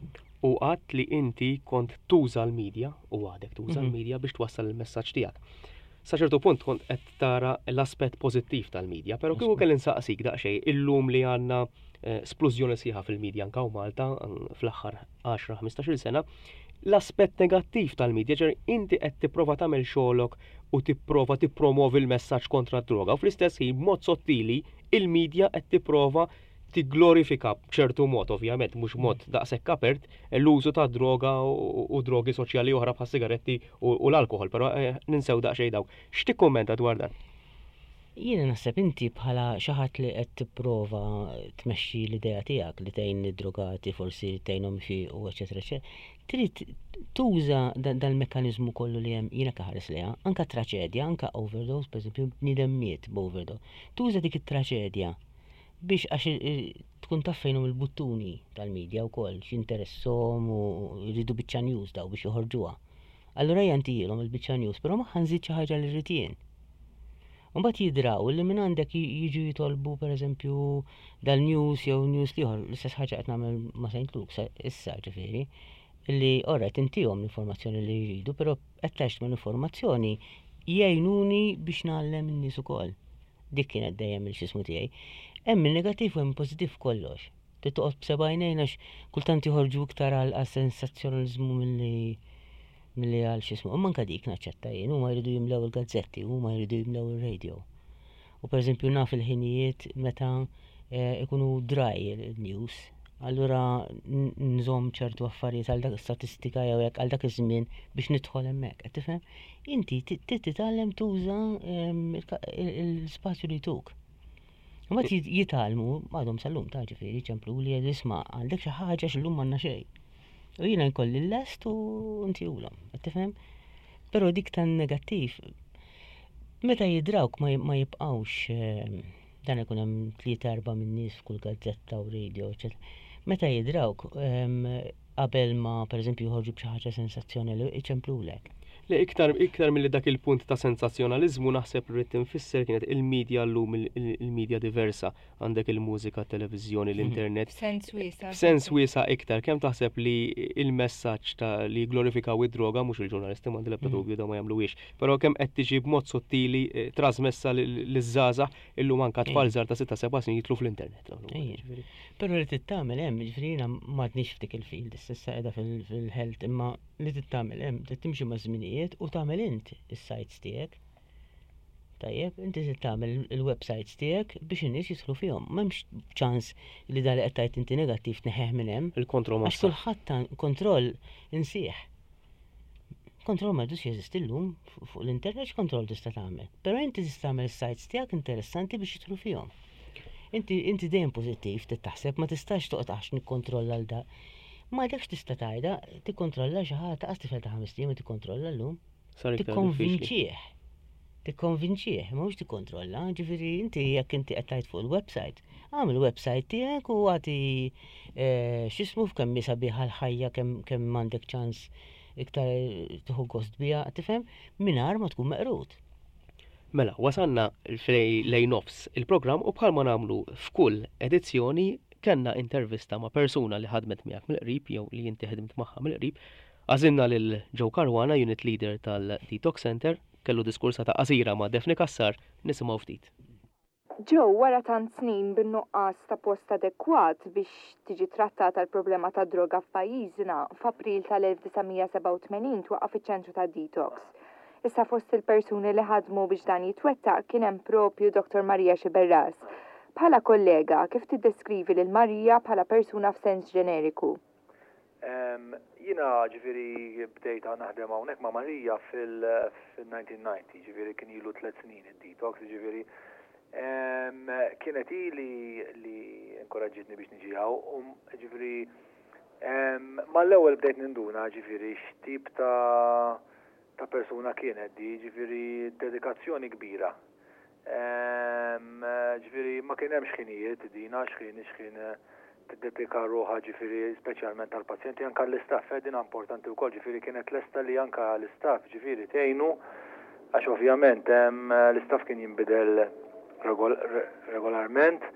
u għedt li inti kont tuża l-medja u għadek tuża Mhm. l-medja biex twassal il-messaġġ tiegħek. Sa ċertu punt kont qed tara l-aspett pożittiv tal-medja, però kieku kelli nsaqsik daqsxejn illum li għandna eh, splużjoni sħiħa fil-medja anka u Malta mm, fl-aħħar għaxra ħmistax-il sena, l-aspett negattiv tal-medja, ġer inti qed tipprova tagħmel xogħolok u tipprova tippromovi l-messaġġ kontra d-droga u fl-istess ħin b'mod sottili il-medja qed tipprova tigglorifika b'ċertu mod, ovvjament, mhux mod daqshekk apert, l-użu ta' droga u, u drogi soċjali oħra bħal sigaretti u, u l-alkohol, però eh, ninsew daqsxejn dawk. X'tikkummenta dwar dan? Jiena naħseb inti bħala xi ħadd li qed tipprova tmexxi l-idea tiegħek li tgħin id-drogati forsi tgħinhom u eċetera eċetera. Trid tuża dal-mekkaniżmu kollu li hemm jiena kaħares liha, anka traċedja, anka overdose, pereżempju bniedem miet b'overdose. Tuża dik it-traċedja biex għax tkun taf fejnhom il-buttuni tal-medja wkoll x'interesshom u jridu biċċa news daw biex joħorġuha. Allura jantihom il-biċċa news, però magħha nżid xi ħaġa li rrid jien. Mbagħad jidraw li minn għandek jiġu jitolbu pereżempju dal-news jew news ieħor, l-istess ħaġa qed nagħmel ma' Saint Luke's issa ġifieri, li orret intihom l-informazzjoni li jridu, però attached ma' l-informazzjoni jgħinuni biex ngħallem in-nies ukoll. Dik kienet dejjem il-xismu tiegħi. Hemm il-negattiv u hemm pożittiv kollox. Trid toqgħod b'seba' għajnejn għax kultant joħorġu iktar għal sensazzjonaliżmu milli milli għal xismu. Imma anka dik naċċetta jien, huma jridu jimlew il-gazzetti, huma jridu jimlew il-radio. U pereżempju naf il-ħinijiet meta eh, ikunu dry il-news, allura nżomm ċertu affarijiet għal dak statistika jew hekk għal dak iż-żmien biex nidħol hemmhekk. Qed tifhem? Inti trid titgħallem tuża ehm, l-spazju li tuk. Mbagħad jitgħallmu għadhom sal-lum ta' ġifieri ċemplu li isma' għandek xi ħaġa x'illum m'għandna xejn. U jiena nkolli l-lest u ntihulhom, qed tifhem? Però dik tan-negattiv meta jidrawk ma jibqgħux ehm, dan ikun hemm tlieta erba' minn nies f'kull gazzetta u radio, eċetera. Meta jidrawk ehm, qabel ma pereżempju joħorġu b'xi ħaġa sensazzjonali iċemplulek. Le iktar iktar milli dak il-punt ta' sensazzjonaliżmu naħseb li rrid tinfisser kienet il-medja llum il-medja diversa. Għandek il-mużika, televiżjoni, l-internet. Sens wiesa. Sens wiesa iktar. Kemm taħseb li il-messaġġ ta' li glorifikaw id-droga mhux il-ġurnalisti m'għandi l-ebda dubju da ma jagħmluhiex, però kemm qed tiġi b'mod sottili eh, trasmessa liż-żgħażagħ illum anke tfal żgħar ta' sitta seba' snin jidħlu fl-internet. Però li tittamel hemm, ġifieri jiena m'għadniex f'dik il-field, issa qiegħda fil-health, imma li tittamel hemm, trid timxi ma' żminijiet u tagħmel int is-sites tiegħek. Tajjeb, inti trid tagħmel il-websites tiegħek biex in-nies jidħlu fihom. M'hemmx ċans li dali qed tgħid inti negattiv tneħħeh minn hemm. Il-kontroll Għax kulħadd ta' kontroll insieħ. Kontroll ma jdux jeżisti llum fuq l-internet x'kontroll tista' tagħmel. Però inti tista' tagħmel is-sites tiegħek interessanti biex jidħlu fihom. Inti inti dejjem pożittiv trid taħseb ma tistax toqgħod għax nikkontrolla l da. Ma dakx tista' tgħidha, tikkontrolla xi ħadd qas tifel ta' ħames ijiem tikkontrolla llum. Sar iktar diffiċli. Tikkonvinċih. Tikkonvinċih, ma mhux tikkontrolla, ġifieri inti jekk inti qed tgħid fuq il-website, agħmel il-website tiegħek u agħti eh, x'ismu f'kemm hi sabiħa l-ħajja kemm kemm għandek ċans iktar tieħu gost biha, tifhem, mingħajr ma tkun meqrud. Mela, wasalna lejn nofs il-programm u bħalma nagħmlu f'kull edizzjoni kellna intervista ma' persuna li ħadmet miegħek mill-qrib jew li inti ħdimt magħha mill-qrib. Għażilna lil Joe Caruana, unit leader tal-Detox Center, kellu diskursa ta' qasira ma' Daphne Cassar, nisimgħu ftit. Joe, wara tant snin bin-nuqqas ta' post adekwat biex tiġi trattata l-problema ta' droga f'pajjiżna, f'April tal-elf disa' mija sebgħa u tmenin twaqqaf iċ-ċentru ta' detox. Issa fost il-persuni li ħadmu biex dan jitwettaq kien hemm propju Doktor Maria Sciberras. Bħala kollega, kif tiddeskrivi lil Maria bħala persuna f'sens ġeneriku? Jiena Jiena ġifieri bdejt naħdem hawnhekk ma' Marija fil-elf disa' mija u disgħin, ġifieri kien ilu tliet snin id-detox, ġifieri kienet li li inkoraġġitni biex niġi hawn, ġifieri mal-ewwel bdejt ninduna ġifieri x'tip ta' ta' persuna kienet di, ġifieri dedikazzjoni kbira. Ġifieri ma kien hemmx ħinijiet dina, xħin xħin tiddedika ruħha ġifieri speċjalment tal-pazjenti, anka l-istaff, eh, dina importanti wkoll, ġifieri kienet lesta li anka l-istaff ġifieri tgħinu, għax ovvjament l-istaff kien jinbidel regolarment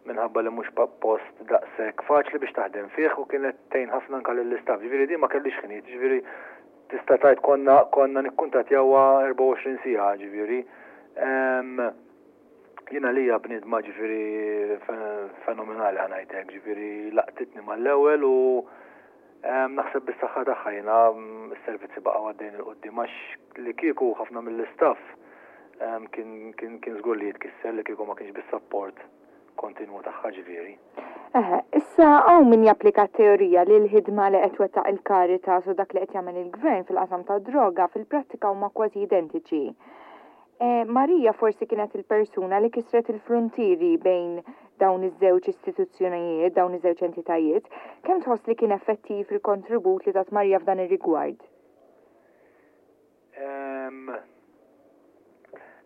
minħabba li mhux post daqshekk faċli biex taħdem fih, u kienet tgħin ħafna anka lill-istaff. Ġifieri di ma kellix ħinijiet, ġifieri tista' tgħid konna konna nikkuntattjawha erbgħa u għoxrin siegħa ġifieri. Jiena lija bniedma ġifieri fenomenali, ħa ngħidlek, ġifieri laqtitni mal-ewwel u naħseb bis-saħħa tagħha jiena s-servizzi baqgħu għaddejn 'il quddiem, għax li kieku ħafna mill-istaff kien kien kien żgur li jitkisser li kieku ma kienx bis-support kontinwu tagħha ġifieri. Eħe, issa hawn min japplika teorija li l-ħidma li qed twettaq il-Caritas u dak li qed jagħmel il-gvern fil-qasam tad-droga fil-prattika huma kważi identiċi. Eh, Marija forsi kienet il-persuna li kisret il-frontieri bejn dawn iż-żewġ istituzzjonijiet, dawn iż-żewġ entitajiet. Kemm tħoss li kien effettiv il-kontribut li tat Marija f'dan ir-rigward? Em,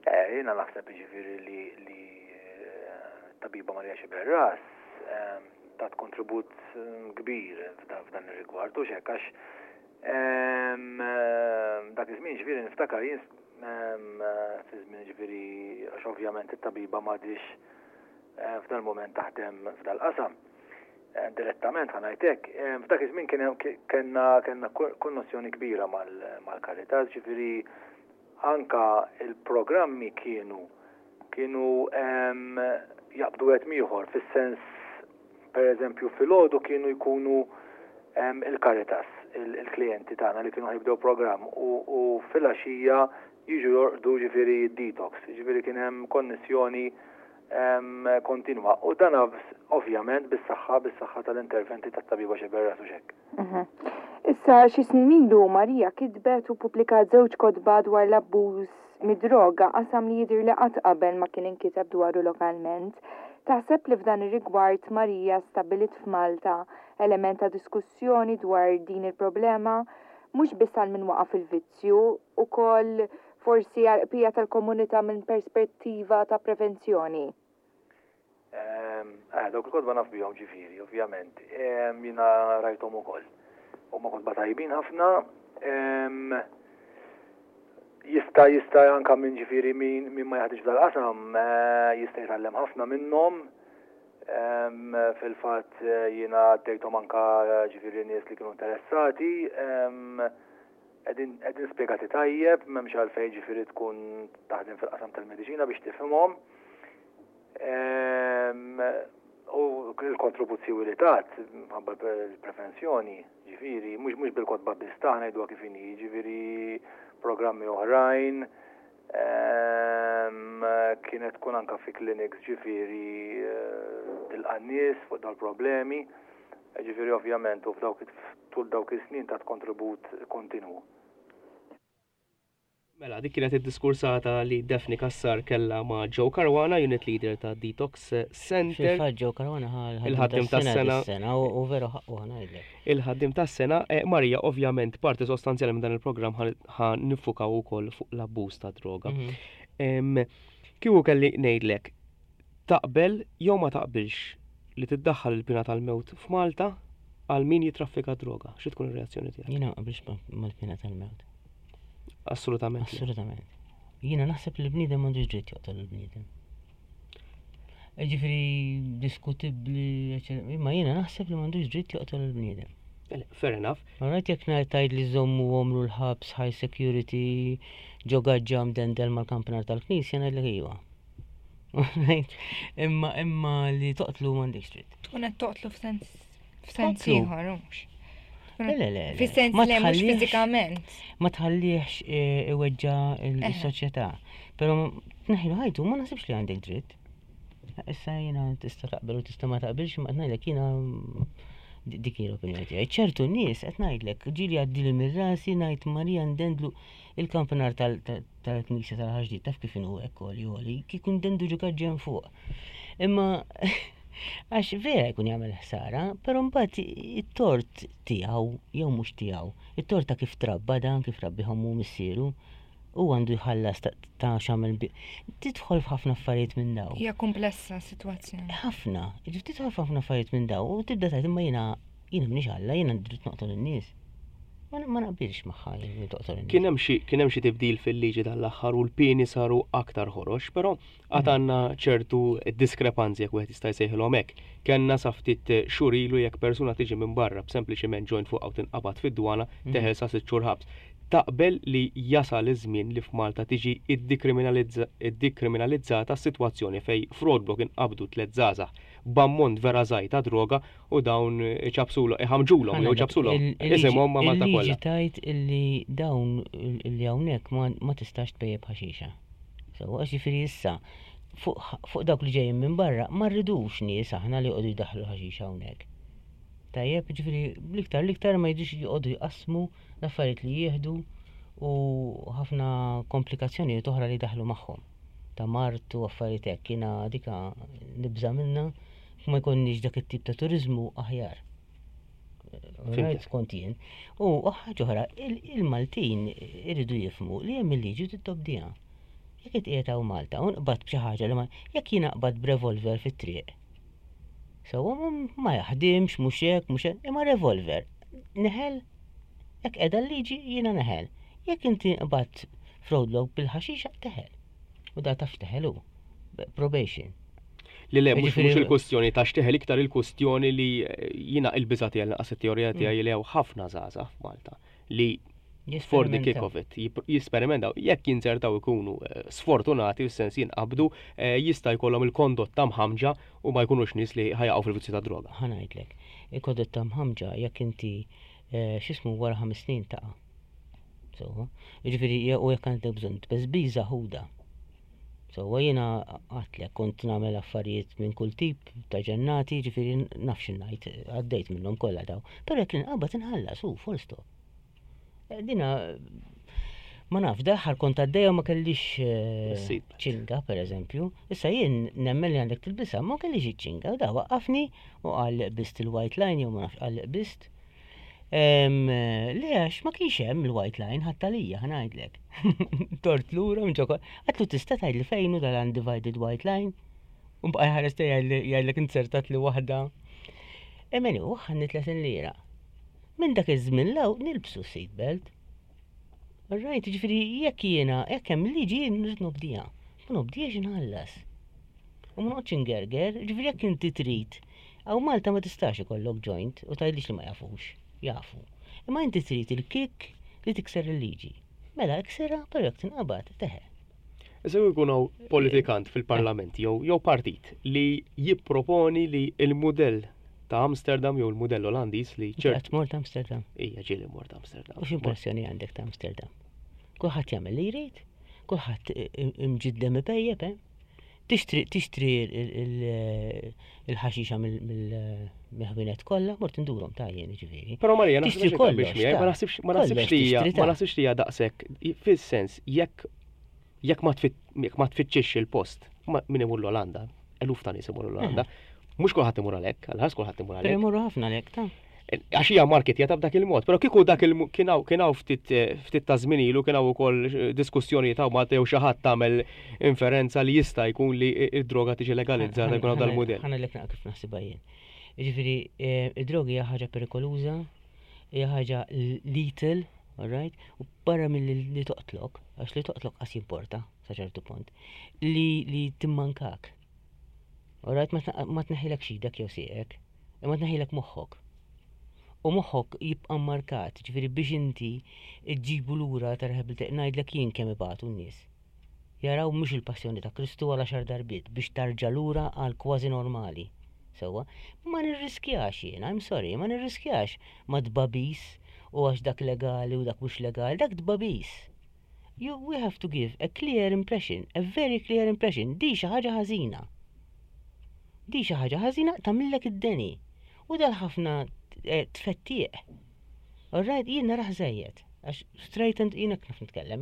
Eh, jiena naħseb ġifieri li li eh, tabiba Marija Xiberras em, tat kontribut em, kbir f'dan f'dan ir-rigward u xek, għax em, em, dak iż-żmien ġifieri niftakar jien em, fi żmien ġifieri, għax ovvjament it-tabiba m'għadix eh, f'dal moment taħdem f'dal-qasam. Eh, Direttament ħa ngħidlek, f'dak iż-żmien kien hemm- kellna kellna konnessjoni kbira mal- mal-Caritas, ġifieri anka il-programmi kienu kienu em, jaqbdu wieħed m'ieħor, fis-sens, per eżempju, filgħodu kienu jkunu em, il-Caritas, il-klijenti tagħna li kienu ħa jibdew programm, u, u fil-għaxija jiġu jorqdu ġifieri detox, ġifieri kien hemm konnessjoni em, kontinwa. U dan ovvjament bis-saħħa bis-saħħa tal-interventi tat-tabiba Xiberras u xek. Mhm. Issa xi snin ilu Marija kitbet u pubblikat żewġ kotba dwar l-abbuż mid-droga, qasam li jidher li qatt qabel ma kien inkiteb dwaru lokalment. Taħseb li f'dan ir-rigward Marija stabbilit f'Malta element ta' diskussjoni dwar din il-problema, mhux biss għal min waqa' fil-vizzju, ukoll forsi għal bqija tal-komunità minn perspettiva ta' prevenzjoni? Ehm, Eh, dawk il-kotba naf bihom ġifieri, ovvjament. Ehm, Jiena rajthom ukoll. Huma kotba tajbin ħafna. Ehm, Jista' jista' anka minn ġifieri min min ma jaħdimx dal-qasam eh, jista' jitgħallem ħafna minnhom. Ehm, Fil-fatt eh, jiena għaddejthom anka eh, ġifieri nies li kienu interessati. Ehm, Qegħdin qegħdin spjegati tajjeb, m'hemmx għalfejn ġifieri tkun taħdem fil-qasam tal-mediċina biex tifhimhom. Ehm, U l-kontribuzzjoni li tat, ħabba l-prevenzjoni, ġifieri, mhux mhux bil-kotba biss ta', ngħidu kif inhi, ġifieri programmi oħrajn, ehm, kienet tkun anka fi clinics ġifieri eh, tilqa' nies fuq dal-problemi, ġifieri ovvjament u f'dawk tul dawk is-snin tat kontribut kontinwu. Mela, dik kienet id-diskursata li Daphne Cassar kella ma' Joe Caruana, unit leader ta' Detox Center. Fil-fatt Joe Caruana ħa Il-ħaddim tas-sena. Sena u u veru ħaqqu, ħa ngħidlek. Il-ħaddim tas-sena, eh, Marija, ovvjament, parti sostanzjali minn dan il-programm ħa niffukaw ukoll fuq l-abbuż ta' droga. Mhm. Em, Kieku kelli ngħidlek, taqbel jew ma taqbilx li tiddaħħal il-pina tal-mewt f'Malta għal min jitraffika droga? Xi tkun ir-reazzjoni tiegħek? Jiena ma naqbilx ma- mal-pina tal-mewt. Assolutament le. Assolutament. Jiena naħseb li l-bniedem m'għandux dritt joqtol il-bniedem. Ġifieri diskutibbli, eċċetera, imma jiena naħseb li m'għandux dritt joqtol il-bniedem. Le, fair enough. Ma rajt jekk ngħid tgħid li żommu għomru l-ħabs high security ġo gaġġa mdendel mal-kampanar tal-knisja, ngħidlek iva. Right? Imma imma li toqtlu m'għandekx dritt. Tkun qed toqtlu f'sens f'sens Toqtlu. ieħor mhux. Le, le, le, le. Fis-sens Ma li mhux tħallihx- fiżikament. Ma tħallihx eh, iweġġa Eħe. il-soċjetà. Però tneħħilu ħajtu ma naħsibx li għandek dritt. Issa jiena tista' taqbel u tista' ma taqbilx, ma ngħidlek jiena Dik hi l-opinjoni tiegħi. Ċertu nies qed ngħidlek, ġieli għaddili minn rasi ngħid Marija ndendlu il-kampanar tal-knisja tal-Ħaġdid taf kif inhu hekk għoli għoli, kieku ndendu ġo gaġġen fuq. Imma għax vera jkun jagħmel ħsara, però mbagħad it-tort tiegħu jew mhux tiegħu, it-tort ta' kif trabba dan kif rabbihom hu missieru, u għandu jħallas ta' x'għamel tidħol f'ħafna affarijiet minn daw. Hija komplessa sitwazzjoni. Ħafna, tidħol f'ħafna affarijiet minn daw u tibda tgħid imma jiena jiena m'iniex Alla, jiena dritt noqtol in-nies. Ma naqbilx magħha li toqtol in-nies. Kien hemm xi kien hemm xi tibdil fil-liġi tal-aħħar u l-pieni saru aktar ħorox, però għad għandna ċertu diskrepanzi jekk wieħed jista' jsejħilhom hekk. Kellna sa ftit xhur ilu jekk persuna tiġi minn barra b'sempliċiment joint fuq tinqabad fid-dwana teħel sa sitt xhur ħabs. Taqbel li jasal iż-żmien li f'Malta tiġi iddikriminalizzata s-sitwazzjoni fej f'roadblock inqabdu tliet żgħażagħ b'ammont vera żgħir ta' droga u dawn iċapsulhom, iħamġulhom jew iċapsulhom isimhom ma' Malta kollha. Il-liġi tgħid illi dawn illi hawnhekk ma tistax tpejjep ħaxixa. So, għax jiġifieri issa fuq dawk li ġejjin minn barra ma rridux nies aħna li joqogħdu jdaħħlu ħaxixa hawnhekk. Tajjeb, ġifieri l-iktar l-iktar ma jridux joqogħdu jqassmu l-affarijiet li jieħdu u ħafna komplikazzjonijiet oħra li daħlu magħhom. Ta' mard u affarijiet hekk, jiena dika nibża' minna ma jkollniex dak it-tip ta' turizmu aħjar. Right, kont jien. U ħaġa oħra, il-Maltin iridu jifhmu li hemm il-liġi titobdiha. Jekk qiegħed hawn Malta u nqbad b'xi ħaġa li ma jekk jiena qbad b'revolver fit-triq. Sewwa ma jaħdimx, mhux hekk, mhux hekk, imma revolver. Neħel, jekk qiegħda l-liġi jiena neħel. Jekk inti qbad f'roadblock bil-ħaxixa teħel. U da taf teħel hu. Probation. Li le, mhux mhux il-kwestjoni ta' xteħel iktar il-kwestjoni li jiena il-biża' tiegħi naqas it-teorija tiegħi li hawn ħafna żgħażagħ f'Malta li for the kick of it, jisperimentaw, jekk jinzertaw ikunu sfortunati, fis-sens jinqabdu, jista' jkollhom il-kondotta mħamġa u ma jkunux nies li ħa jaqgħu fil-vizzju ta' droga. Ħa ngħidlek, il-kondotta mħamġa jekk inti x'ismu wara ħames snin taqa'. So, jiġifieri u jekk għandek bżonn tbeżbiża ħuda. So, jiena għedtlek kont nagħmel affarijiet minn kull tip ta' ġennati, ġifieri naf x'ngħid, għaddejt minnhom kollha daw. Però jekk inqabad inħallas, hu full stop. Dina ma nafx, dal-aħħar kont għaddejja ma kellix ċinga, per eżempju. Issa jien nemmen li għandek tilbisha, ma kellix iċ-ċinga, u da waqqafni u qal qbist il-white line jew ma nafx qal qbist. Le, għax ma kienx hemm il-white line ħadd għalija, ħa ngħidlek. Dort lura minn ġokol. Għedtlu tista' tgħidli fejn hu dal-undivided white line? U bqa' jħares jgħidlek inzertat li waħda. Emeni, u ħanni tletin lira. Minn dak iż-żmien law nilbsu seatbelt. Right, ġifieri jekk jiena, jekk hemm liġi jien nrid nobdiha. Ma nobdihiex inħallas. U ma noqgħodx ingerger, ġifieri jekk inti trid. Hawn Malta ma tistax ikollok joint u tgħidlix li ma jafux. Jafu. Imma inti trid il-kick li tikser il-liġi. Mela iksirha, però jekk tinqabad teħel. Issa jkun hawn politikant fil-parlament jew jew partit li jipproponi li il-mudell ta' Amsterdam jew il-mudell Olandiż li ċert. Qatt mort Amsterdam? Ija ġieli mort Amsterdam. U x'impressjoni għandek ta' Amsterdam? Kulħadd jagħmel li jrid, kulħadd imġiddem ipejjep, eh? Tixtri tixtri il-ħaxixa mill-ħwienet kollha, mort indurhom ta' jien ġifieri. Però Marija, naħsibx kollox, ma naħsibx ma naħsibx li hija ma naħsibx li hija daqshekk fis-sens jekk jekk ma tfittxix il-post, min imur l-Olanda, eluf ta' nies imur l-Olanda, mhux kulħadd imur għalhekk, għalħas kulħadd imur għalhekk. Però imorru ħafna għalhekk ta' Għax hija marketjata b'dak il-mod, però kieku dak il kien hawn ftit ftit ta' żmien ilu kien hawn ukoll diskussjoni ta' Malta jew xi ħadd tagħmel inferenza li jista' jkun li id-droga tiġi legalizzata jkun dal-mudell. Ħa ngħidlek naqra kif naħsibha jien. Jiġifieri id-droga hija ħaġa perikoluża, hija ħaġa lethal, all right? U barra mill-li toqtlok, għax li toqtlok qas jimporta sa ċertu punt, li li timmankak. All right, ma tneħħilek xidek jew sieqek, imma tneħħilek moħħok. U moħħok jibqa' markat, ġifieri biex inti ġġibu lura ta' rehabilitation, ngħidlek jien kemm ibatu n-nies. Jaraw mhux il-passjoni ta' Kristu għal għaxar darbiet biex tarġa' lura għal kważi normali. Sewwa, ma nirriskjax jien, I'm sorry, ma nirriskjax ma tbabis u għax dak legali u dak mhux legali, dak tbabis. You, we have to give a clear impression, a very clear impression. Di xi ħaġa ħażina. Di xi ħaġa ħażina tagħmillek id-deni. U dal ħafna eh, tfettieq. All right, jien narah żejjed. Għax straight and jiena naf nitkellem,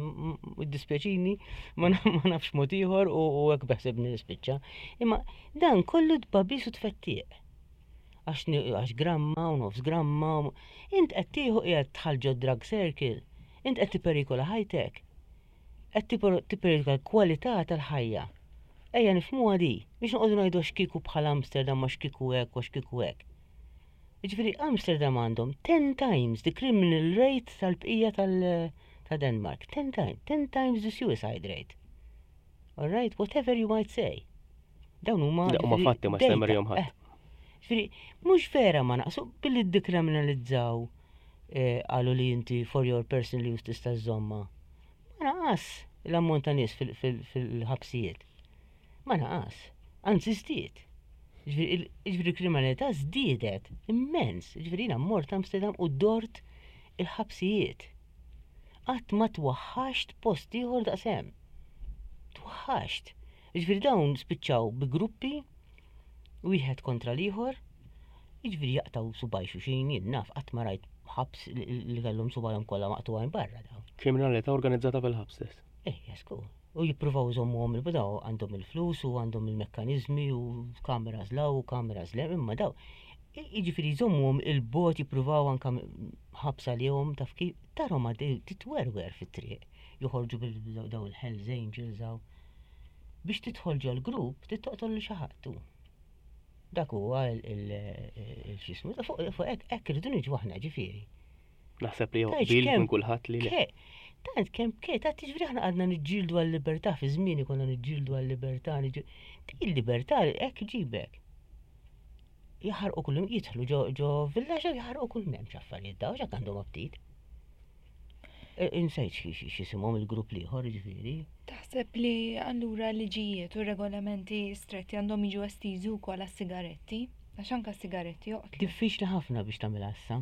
dispjaċini, ma nafx mod ieħor u hekk beħsibni nispiċċa. Imma dan kollu tbagħbis u tfettieq. Għax gramma u nofs gramma. Int qed tieħu qiegħed tidħol ġo drug circle. Int qed tipperikola ħajtek. Qed tipperikola l-kwalità tal-ħajja. Ejja nifhmuha di, biex noqogħdu ngħidu x'kieku bħal Amsterdam ma x'kieku hekk u x'kieku hekk. Ġifieri Amsterdam għandhom ten times the criminal rate tal-bqija ta' Denmark. ten times, ten times the suicide rate. All right, whatever you might say. Dawn huma huma fatti, ma stemmerjhom ħadd. Eh, ġifieri mhux vera ma naqsu billi ddikriminalizzaw, eh, qalu li inti for your personal use tista' żżomma. Ma naqas l-ammont ta' nies fil-ħabsijiet. Ma naqas, anzi żdied. Ġifieri kriminalità żdiedet immens. Ġifieri jiena mort Amsterdam u dort il-ħabsijiet. Qatt ma twaħħaxt post ieħor daqshemm. Twaħħaxt. Ġifieri dawn spiċċaw bi gruppi wieħed kontra l-ieħor. Ġifieri jaqtaw subgħaj xulxin, jien naf qatt ma rajt ħabs li kellhom subgħajhom kollha maqtugħin barra dawn. Kriminalità organizzata fil-ħabs stess. Eh, jasku. U jippruvaw iżommuhom il-budaw, għandhom il-flus u għandhom il-mekkanizmi u kameras 'l hawn u kameras 'l hemm, imma daw. Jiġifieri jżommuhom il-bogħod, jippruvaw anka ħabsa lihom, taf kif tarhom għaddej titwerwer fit-triq. Joħorġu bil-daw il-Hells Angels hawn. Biex tidħol ġol grupp, tittoqtol li xi ħadd. Dak huwa il-xismu, fuq hekk hekk irridu niġu aħna, ġifieri. Naħseb li qbil minn kulħadd li le. Tant kemm ke, ta' tiġri aħna għadna niġġieldu għal-libertà, fi żmieni konna niġġieldu għal-libertà, din il-libertà hekk ġibek. Jaħarqu kullum, jidħlu ġo ġo villaġġ u jaħarqu kull m'hemmx affarijiet daw, x'hekk għandhom aptit. E, insejt x'isimhom il-grupp l-ieħor, ġifieri. Taħseb li allura liġijiet u regolamenti stretti għandhom jiġu estiżi wkoll għas-sigaretti? Għax anke s-sigaretti joqtlu. Diffiċli ħafna biex tagħmilha issa.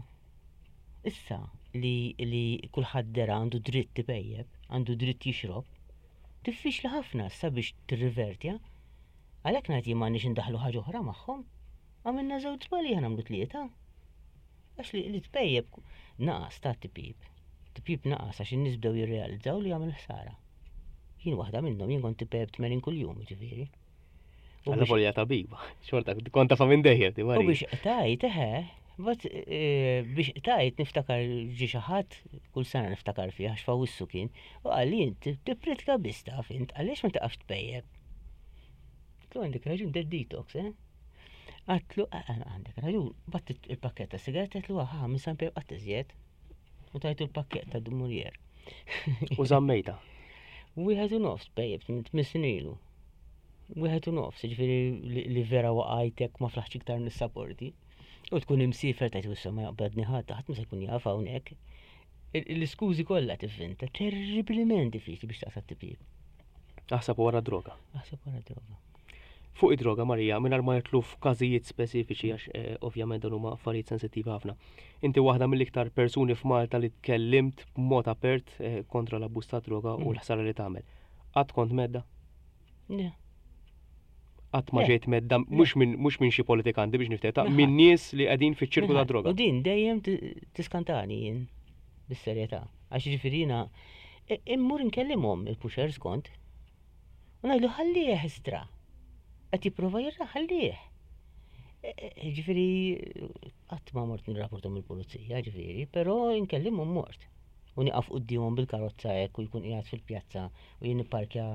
Issa li, li kulħadd dera għandu dritt ipejjeb, għandu dritt jixrob, diffiċli ħafna issa biex tirrivertja. Għalhekk ngħid jien m'għandniex indaħlu ħaġa oħra magħhom. Għamilna żewġ żbalji, ħa nagħmlu tlieta. Għax li, li tpejjeb naqas ta' tipjip. Tipjip naqas għax in-nies bdew jirrealizzaw li jagħmel ħsara. Jien waħda minnhom, jien kont tipejjeb tmenin kuljum, ġifieri. U biex volja tabiba, xorta kont tafa minn dejjem, ti U biex qtajt, eħe, bat eh, biex qtajt niftakar ġi xi ħadd, kull sena niftakar fih għax f'Awwissu kien, u qal li int tippritka biss taf int, għaliex ma taqafx tpejjeb? Għedtlu għandek raġun, dead detox, eh? Għedtlu, ah, ah, għandek raġun, bat il-pakket ta' sigaretti, għedtlu, ah, minn San Pier qatt iżjed. U tajtu l-pakket ta' Dumouriez. U żammejta. Wieħed u nofs pejjeb, tmien snin ilu. Wieħed u nofs, ġifieri li, li vera waqajtek ma flaħx iktar nissaporti. U tkun imsiefer tajt wissa ma jaqbadni ħadd, ħadd ma se jkun jaf hawnhekk. L-iskużi kollha tivvinta, terribilment diffiċli biex taqta' tipjip. Aħseb wara droga. Aħseb wara droga. Fuq id-droga, Marija, mingħajr ma nidħlu f'każijiet speċifiċi għax eh, ovvjament dan huma affarijiet sensittivi ħafna. Inti waħda mill-iktar persuni f'Malta li tkellimt b'mod apert eh, kontra l-abbuż ta' droga u Mm. l-ħsara li tagħmel. Qatt kont mheddda? Le. Qatt ma Le. ġejt mhedda, mhux minn mhux minn xi politikanti biex niftehta, Minn minn ħadd. nies li qegħdin fiċ-ċirku ta' droga. U din dejjem ti- tiskantani jien bis-serjetà. Għax ġifieri jiena i- immur nkellimhom il-pushers kont. U ngħidlu ħallih istra. Qed jipprova jirra ħallih. E- e- Ġifieri qatt ma mort nirrapportom il-pulizija, ġifieri, però nkellimhom mort. U nieqaf quddiemhom bil-karozza hekk u jkun qiegħed fil-pjazza u jien nipparkja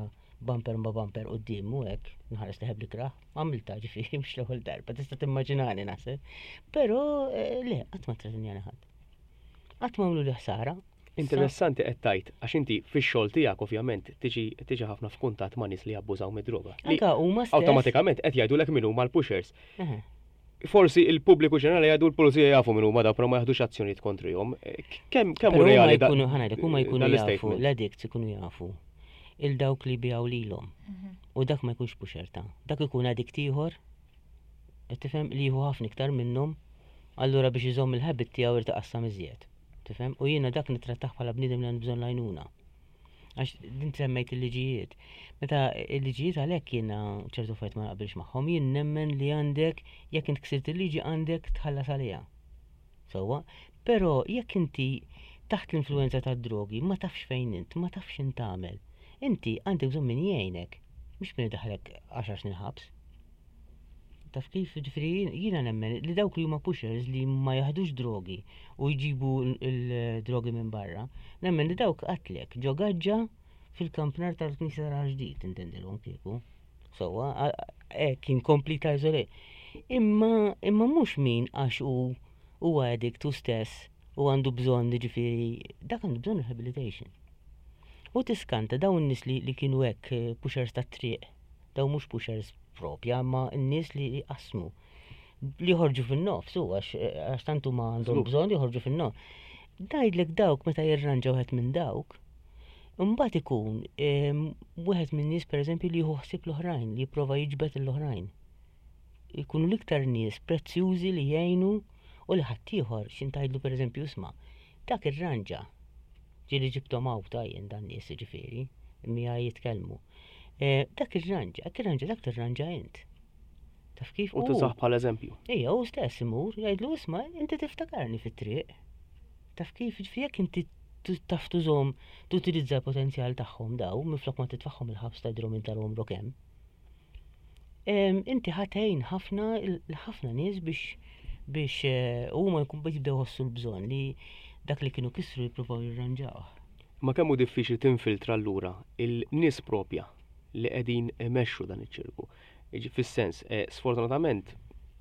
bumper ma bumper quddiemu hekk, nħares leħeb li kraħ, għamilta ġifieri mhux l-ewwel darba, tista' timmaġinani naħseb. Però eh, le, qatt ma threatenjani ħadd. Qatt ma għamlu li ħsara. Interessanti qed tgħid, għax inti fix-xogħol tiegħek ovvjament tiġi tiġi ħafna f'kuntatt ma' nies li jabbużaw mid-droga. Li Anka huma stess. awtomatikament qed jgħidulek min huma l-pushers. Eħe. Forsi il-pubbliku ġenerali jgħidu l-pulizija jafu min huma daw, però ma jaħdux azzjonijiet kontrihom. Eh, Kemm kemm hu Però huma reali da- jkunu, ħa ngħidlek, huma jkunu dan jafu, l-istatement? l-addicts ikunu jafu il dawk li bijaw lilhom. U dak ma jkunx pusher ta'. Dak ikun addict ieħor, qed tifhem, li jieħu ħafna iktar minnhom, allura biex iżomm il-habit tiegħu irid iqassam iżjed. Tifhem? U jiena dak nittrattah bħala bniedem li għandu bżonn l-għajnuna. Għax din semmejt il-liġijiet. Meta il-liġijiet għalhekk jiena ċertu affarijiet ma naqbilx magħhom, jien nemmen li għandek, jekk int ksirt il-liġi għandek tħallas għaliha. Sewwa, però jekk inti taħt l-influenza tad-drogi ma tafx fejn int, ma tafx x'int tagħmel. Inti għandek bżonn min jgħinek, mhux min idaħħlek għaxar snin ħabs. Taf kif, ġifieri jiena nemmen li dawk li huma pushers li ma jaħdux drogi u jġibu l-drogi minn barra, nemmen li dawk qatlek ġo gaġġa fil-kampnar tal-Knisja tal-Ġdid intendilhom kieku. Sewwa, hekk kien complete isolate. Imma imma mhux min għax hu huwa addict hu stess u għandu bżonn ġifieri dak għandu bżonn rehabilitation. U tiskanta dawn nies li, li kienu hekk eh, pushers tat-triq, daw mhux pushers propja, ma n-nies li jqasmu li joħorġu fin-nofs, u għax għax tantu ma għandhom Żgur. bżonn joħorġu fin-nofs. Ngħidlek dawk meta jirranġa wieħed minn dawk, imbagħad ikun em, wieħed minn nies pereżempju li jieħu ħsieb l-oħrajn, li jipprova jiġbed l-oħrajn. Ikunu l-iktar nies prezzjużi li jgħinu u li ħaddieħor x'int tgħidlu pereżempju isma' dak irranġa. Ġieli ġibthom hawn ta' jien dan nies ġifieri, miegħi jitkellmu. Eh, Dak irranġa, dak irranġa, dak tirranġa int. Taf kif? U tużah bħala eżempju. Ejja, u stess imur, jgħidlu isma' inti tiftakarni fit-triq. Taf kif, ġifieri jekk inti tu- taf tużhom, tutilizza l-potenzjal tagħhom daw, minflok ma titfagħhom il-ħabs tgħidilhom int għomrok hemm. Em, Inti ħa tgħin ħafna l-ħafna nies biex biex eh, huma jkun jibdew jħossu l-bżonn li dak li kienu kisru jippruvaw jirranġawh. Ma kemm hu diffiċli tinfiltra allura il-nies propja li qegħdin imexxu dan iċ-ċirku. Jiġi Fis-sens, eh, sfortunatament,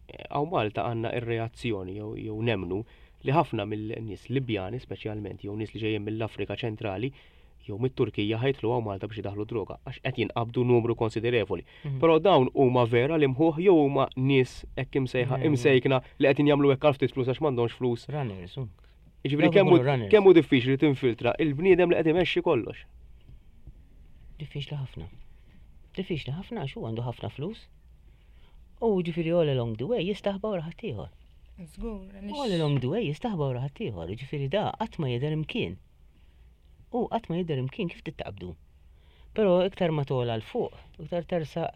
eh, hawn Malta għandna ir-reazzjoni jew jew nemnu li ħafna mill-nies Libjani speċjalment jew nies li ġejjin mill-Afrika ċentrali jew mit-Turkija ħa jitilgħu hawn Malta biex idaħlu droga għax qed jinqabdu numru konsiderevoli. Mhm. Però dawn huma vera li mħuħ jew huma nies hekk imsejħa Mhm. imsejkna li qed jagħmlu hekk għal ftit flus għax m'għandhomx flus. Runners, u. Jiġifieri Dawk kemm hu ikunu runners. kemm hu diffiċli tinfiltra il-bniedem li qed imexxi kollox. Diffiċli ħafna. Diffiċli ħafna għax hu għandu ħafna flus. U ġifieri all along the way jistaħba wara ħaddieħor. Żgur, All għaliex along the way jistaħba wara ħaddieħor, ġifieri da qatt ma jidher imkien. U qatt ma jidher imkien kif tittaqbdu. Però iktar ma togħla 'l fuq, iktar tersaq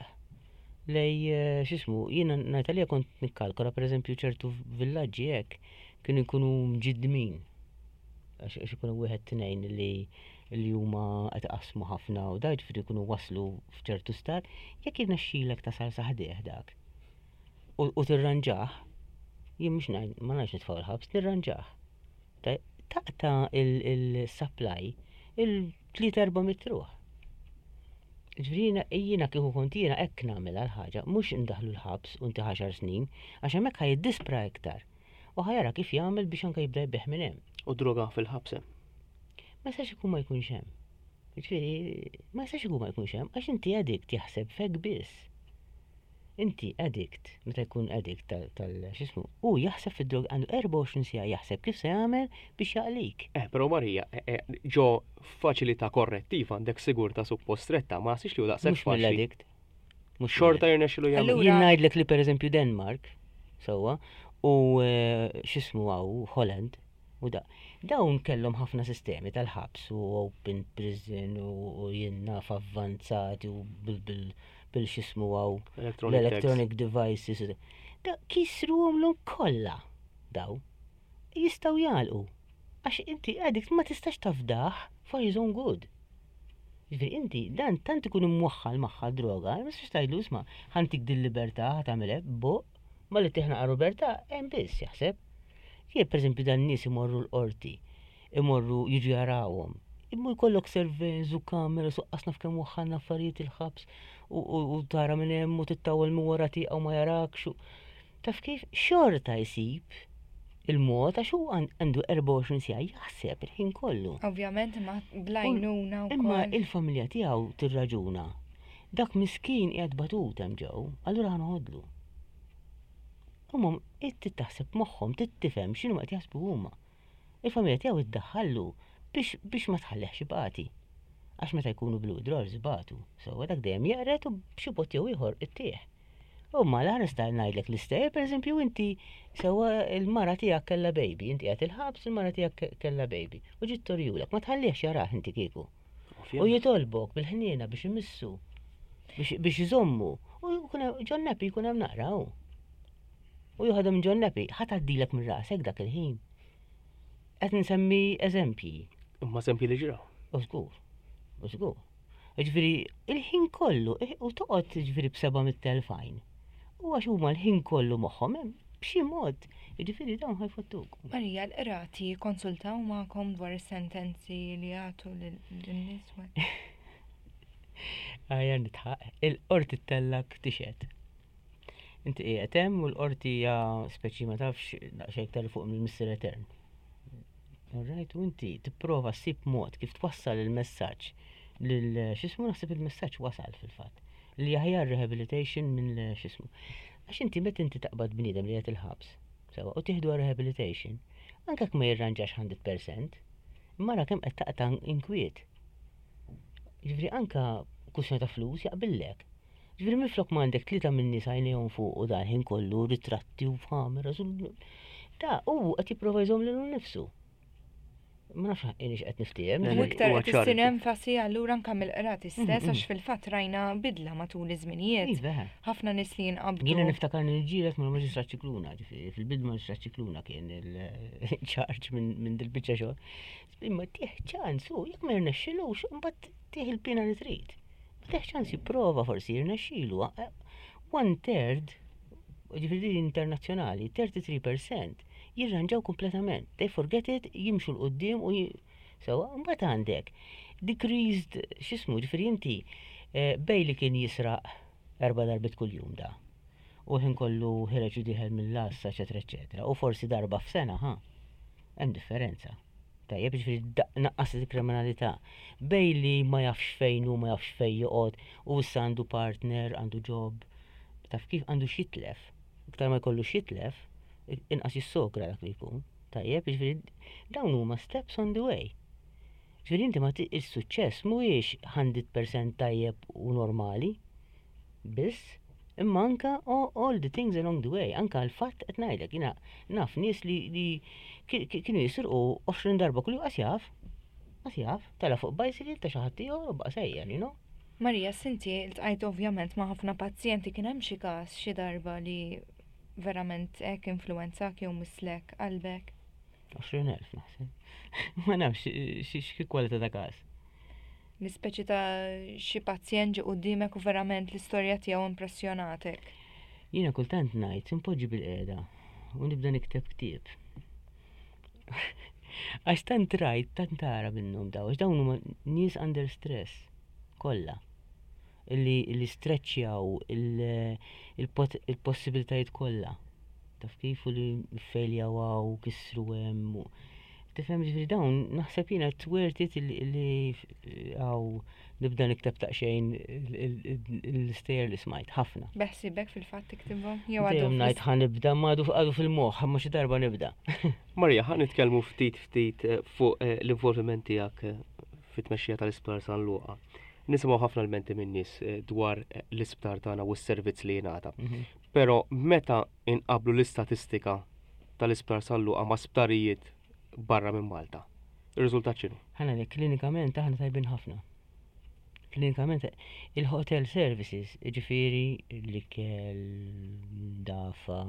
lej eh, x'ismu, jiena ngħid għalija kont nikkalkola pereżempju ċertu villaġġi hekk kienu jkunu mġiddmin. Għax għax ikunu wieħed tnejn li li huma qed iqassmu ħafna u da ġifieri jkunu waslu f'ċertu stat, jekk jirnexxilek tasal sa ħdejh dak. U u tirranġah, jien mhux ngħid ma ngħidx nitfgħu l-ħabs, nirranġah. Ta- Taqta' il-supply il-tlieta erba' mitt ruħ. Ġifieri jiena jiena kieku kont jiena hekk nagħmilha l-ħaġa, mhux indaħlu l-ħabs u inti għaxar snin, għax hemmhekk ħa jiddispra iktar. U ħa jara kif jagħmel biex anke jibda jbigħ minn hemm. U droga fil-ħabs hemm. Ma jistax ikun ma jkunx hemm. Ġifieri, ma jistax ikun ma jkunx hemm għax inti addict jaħseb fek biss. Inti addict, meta jkun addict tal, tal x'ismu, u jaħseb fid-drog għandu erbgħa u għoxrin siegħa jaħseb kif se jagħmel biex jaqlik. Eh, però Marija, eh, eh, ġo faċilità korrettiva għandek sigurtà suppost stretta, ma nasix li hu daqshekk Mhux faċli. mill-addict. Mhux Xorta jirnexxilu jagħmel. Allura- Jien ngħidlek li pereżempju Denmark, sewwa, u eh, x'ismu hawn Holland, u da. Dawn kellhom ħafna sistemi tal-ħabs u open prison u u jien naf avvanzati u bil bil bil x'ismu hawn Electronic tags. l-electronic devices. u da. Da kisruhom l kollha daw. Jistgħu jagħlqu. Għax inti addict ma tistax tafdah for his own good. Ġifieri inti dan tant ikun imwaħħal magħha droga, ma tistax tgħidlu isma' ħa ntik dil-libertà ħa tagħmel hekk, bo, ma li tiħnaq libertà hemm biss jaħseb. Jien pereżempju dan nies imorru l-qorti, imorru jiġu jarawhom. Imma jkollok surveillance u kamera su qasna f'kemm waħħalna affarijiet il-ħabs u, u, u tara minn hemm u tittawel minn wara tieqa u ma jarakx. u- Taf kif xorta jsib il-mod għax hu għandu erbgħa u għoxrin siegħa jaħseb il-ħin kollu. Ovvjament ma bl-għajnuna Imma wkoll. il-familja tiegħu tirraġuna. Dak miskin qiegħed batut hemm ġew, allura ħa noħodlu. Huma inti taħseb moħħhom, tifhem x'inhu qed jaħsbu huma. Il-familja tiegħu iddaħħallu biex biex ma tħallihx ibati. Għax meta jkunu blue drawers ibatu. So dak dejjem jeqred u b'xi mod jew ieħor ittieħ. U ma la nista' ngħidlek l-istejjer, pereżempju inti sewwa il-mara tiegħek kellha baby, inti qiegħed il-ħabs, il-mara tiegħek kellha baby. U ġiet torjulek, ma tħallihx jarah inti kieku. U jitolbok bil-ħniena biex imissu, biex biex iżommu. U jkun hemm- ġon nappy jkun hemm naqra hu. U joħodha minn ġon nappy, ħa tgħaddilek minn rasek dak il-ħin. Qed nsemmi eżempji. Imma eżempji li ġraw. U żgur, u żgur. Ġifieri, il-ħin kollu, eh, u toqgħod ġifieri b'seba' mitt elf għajn. U għax huma l-ħin kollu moħħhom hemm b'xi mod, ġifieri dawn ħa jfottuk. Marija, l-qrati konsultaw magħkom dwar is-sentenzi li jagħtu lin-nies? Għajja nidħaq, il-qorti ttellgħek tixhed. Inti qiegħed hemm u l-qorti hija speċi ma tafx daqsxejn iktar fuq mill-Mister Etern. Alright, u inti tipprova ssib mod kif twassal il-messaġġ lil x'ismu naħseb il-messaġġ wasal fil-fatt. Li aħjar rehabilitation minn x'ismu. Għax inti meta inti taqbad bniedem li qed il-ħabs, sewa, u tieħdu rehabilitation, anke jekk ma jirranġax mija fil-mija, mara kemm qed taqta' inkwiet. Ġifieri anka kwistjoni ta' flus jaqbillek. Ġifieri minflok ma għandek tlieta minn nies għajnejhom fuq u dan ħin kollu ritratti u kameras u da u qed jipprova jżomm lilu nnifsu. Ma nafx ħaqqinix qed niftiehem. U iktar Huwa qed ċar. issir enfasi allura anke mill-qrati stess Mm, għax fil-fatt rajna bidla matul iż-żminijiet. Iva. Ħafna nies li jinqabdu. Jiena niftakar niġġieled mal-Maġistrat Scicluna, ġifieri fil-bidu Maġistrat Scicluna kien il-charge minn minn dil-biċċa xogħol. Imma tih ċans, u jekk ma jirnexxilux, imbagħad tih il-pina li trid. Ma tih ċans jipprova forsi jirnexxilu. One third, ġifieri din internazzjonali, thirty-three percent jirranġaw kompletament. They forget it, jimxu 'l quddiem u j- sewa, mbagħad għandek decreased, x'ismu, ġifieri inti eh, bej li kien jisraq erba' darbit kuljum da. U ħin kollu ħireġ u dieħel mill-lassa, eċetera, eċetera. U forsi darba f'sena, ha? Hemm differenza. Tajjeb, ġifieri da- naqqas il-kriminalità. Bej li ma jafx fejn u ma jafx fejn joqgħod u issa għandu partner, għandu job, taf kif għandu x'jitlef. Iktar ma jkollu x'jitlef, inqas jissogra dak li jkun. Tajjeb, ġifieri dawn huma steps on the way. Ġifieri inti ma ti- il-suċċess mhuwiex mija fil-mija tajjeb u normali, biss, imma anka all, all the things along the way, anka l-fatt qed ngħidlek, jiena naf nies li, li ki- ki- kienu jisirqu għoxrin darba kull qas jaf, qas jaf, tela' fuq bicycle ta' xi ħadd ieħor u baqa' sejjer, you know? Marija, inti ltqajt ovvjament ma' ħafna pazjenti, kien hemm xi każ xi darba li verament hekk influwenzak jew misslek qalbek? għoxrin elf naħseb. Ma nafx xi xi kwalità ta' każ. L-ispeċi ta' xi pazjent ġie quddiemek u verament l-istorja tiegħu impressjonatek. Jiena kultant ngħid impoġġi bil-qiegħda u nibda nikteb ktieb. Għax tant rajt, tant tara minnhom daw, għax dawn huma nies under stress kollha. Illi illi streċjaw il-possibilitajiet kollha. Taf kif u li failjaw għaw, kisru hemm. u- Tifhem, ġifieri dawn naħseb jiena it's worth it illi illi għaw nibda nikteb taqxejn l-istejjer li smajt ħafna. Beħsibek fil-fatt tiktibhom? Jew għadu Dejjem ngħid ħa nibda, ma għadu għadu fil-moħħ, ma xi darba nibda. Marija, ħa nitkellmu ftit ftit eh, fuq eh, l-involviment tiegħek eh, fit-tmexxija tal-Isptar San Luqa. Nisimgħu ħafna l-menti minn nies eh, dwar eh, l-isptar tagħna u s-servizz li jingħata. Però meta inqablu l-istatistika tal-Isptar San Luqa ma' sptarijiet barra minn Malta, ir-riżultat x'inhu? Ħana li klinikament aħna tajbin ħafna. Klinikament il-hotel services, ġifieri l-ikel, dafa,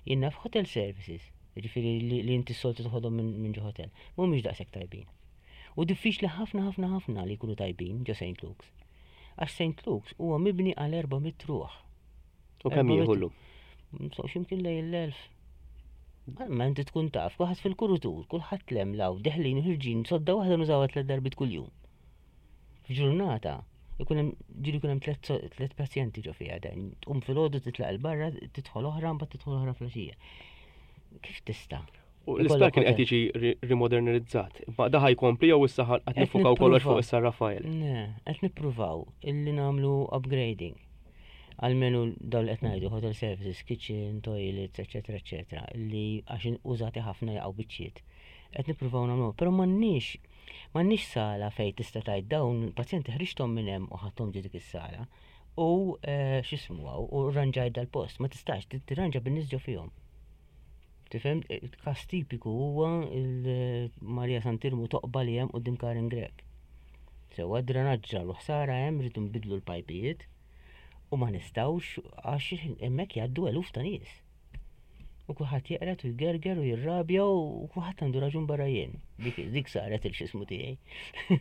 jiena f'hotel services, ġifieri li, li inti s-soltu toħodhom minn min ġo hotel, mhumiex daqshekk tajbin. U diffiċli ħafna ħafna ħafna li jkunu tajbin ġo Saint Luke's. Għax Saint Luke's huwa mibni għal erba' mitt ruħ. U kemm Erba' jieħu mitt- llum? Msoqx imkien lejn l-elf. Ma inti tkun taf, kulħadd fil-kuritur, kulħadd lem law, deħlin u ħirġin, sodda waħda nużawha tliet darbiet kuljum. F'ġurnata, ikun hemm ġieli jkun hemm tliet so- tliet pazjenti ġo fiha dan. Tqum filgħodu titlaq 'il barra, tidħol oħra, mbagħad tidħol oħra filgħaxija. Kif tista'? U l-isptar kien qed jiġi ri- rimodernizzat. Ma da ħa jkompli jew issa ħa- qed Qed nifukaw kollox fuq nippruvaw. issa Rafael? Ne, qed nippruvaw illi nagħmlu upgrading. Almenu dawn li qed ngħidu hotel services, kitchen, toilets, eċetera, eċetera, li għax użati ħafna jaqgħu biċċiet. Qed nippruvaw nagħmlu, però m'għandniex m'għandniex sala fejn tista' tgħid dawn il-pazjenti ħriġthom minn hemm u ħadthom ġo dik is-sala u eh, x'ismu hawn u rranġajt dal-post, ma tistax tirranġa bin-nies ġo fihom. Tifhem, każ tipiku huwa il-Marija Sant'Iermu toqba li hemm quddiem Karin Grech. Sewa drenaġġ u ħsara hemm, rridu nbidlu l-pajpijiet u ma nistgħux għax hemmhekk jgħaddu eluf ta' nies. U kulħadd jeqred u jgerger u jirrabja u kulħadd għandu raġun barra jien. Dik, dik saret il-xismu tiegħi.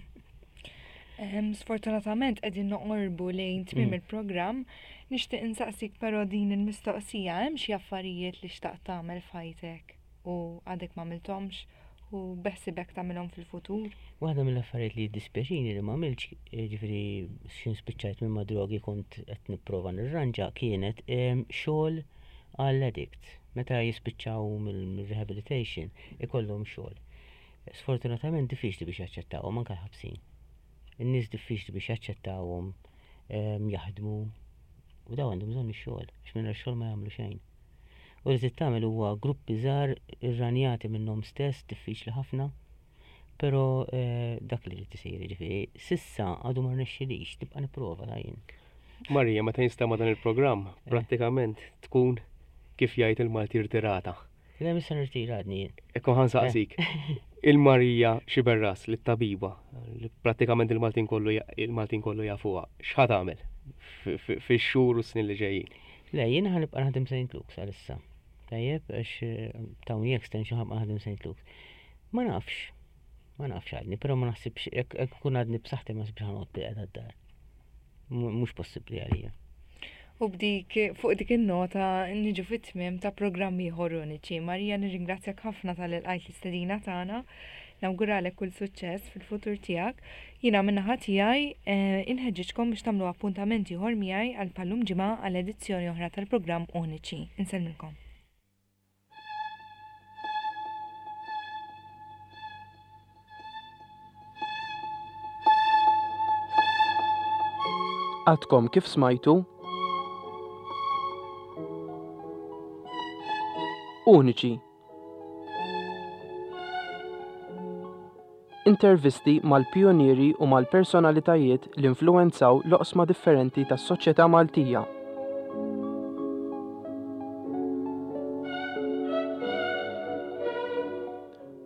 Sfortunatament qegħdin noqorbu lejn tmiem mm. il-programm. Nixtieq insaqsik però din il-mistoqsija, hemm xi affarijiet li xtaqt tagħmel f'ħajtek u għadek m'għamilthomx u beħsibek tagħmilhom fil-futur? Waħda mill-affarijiet li jiddispjaċini li m'għamiltx, ġifieri x'ħin spiċċajt minn ma' drogi kont qed nipprova nirranġa, kienet xogħol għall-addict. Meta jispiċċaw mill-rehabilitation ikollhom xogħol. Sfortunatament diffiċli biex jaċċettawhom anke l-ħabsin. In-nies diffiċli biex jaċċettawhom jaħdmu u daw għandhom bżonn ix-xogħol, għax mingħajr xogħol ma jagħmlu xejn. U li trid tagħmel huwa gruppi żgħar irranjati minnhom stess, diffiċli ħafna, però eh, dak li trid isir, jiġifieri sissa għadu ma rnexxilix, nibqa' nipprova ta' jien. Marija, meta jinstema' dan il-programm, eh. prattikament tkun kif jgħid il-Malti rtirata. Le, mhux se nirtira għadni jien. Ekku ħa nsaqsik. Eh. Il-Marija Xiberras, li tabiba, li prattikament il-Maltin kollu il-Maltin kollu jafuha, x'ħa tagħmel fix-xhur u s-snin li ġejjin? Le, jiena ħa nibqa' naħdem Saint Luke's għalissa. Tajjeb, għax eh, tawni extension ħa nibqa' naħdem Saint Luke's. Ma nafx, ma nafx għadni, però ma naħsibx, jekk kun għadni b'saħħti ma naħsibx ħa noqgħod bilqiegħda d-dar. Mhux possibbli għalija. U b'dik, fuq dik in-nota niġu fit-tmiem ta' programm ieħor Uniċi. Marija, nirringrazzjak ħafna talli lqajt l-istedina tagħna. Nawguralek kull suċċess fil-futur tiegħek. Jiena min-naħa tiegħi eh, inħeġġiġkom biex tagħmlu appuntament ieħor miegħi għal bħal-lum ġimgħa għal edizzjoni oħra tal-programm Uniċi. Insellmilkom. Għadkom kif smajtu Uniċi. Intervisti mal-pionieri u mal-personalitajiet li influwenzaw l-oqsma differenti tas-soċjetà Maltija.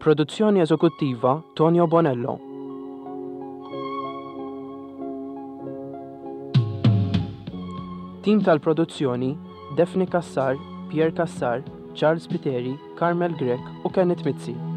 Produzzjoni eżekuttiva Tonio Bonello. Tim tal-produzzjoni Daphne Cassar, Pierre Cassar, Charles Piteri, Carmel Grech u Kenneth Mizzi.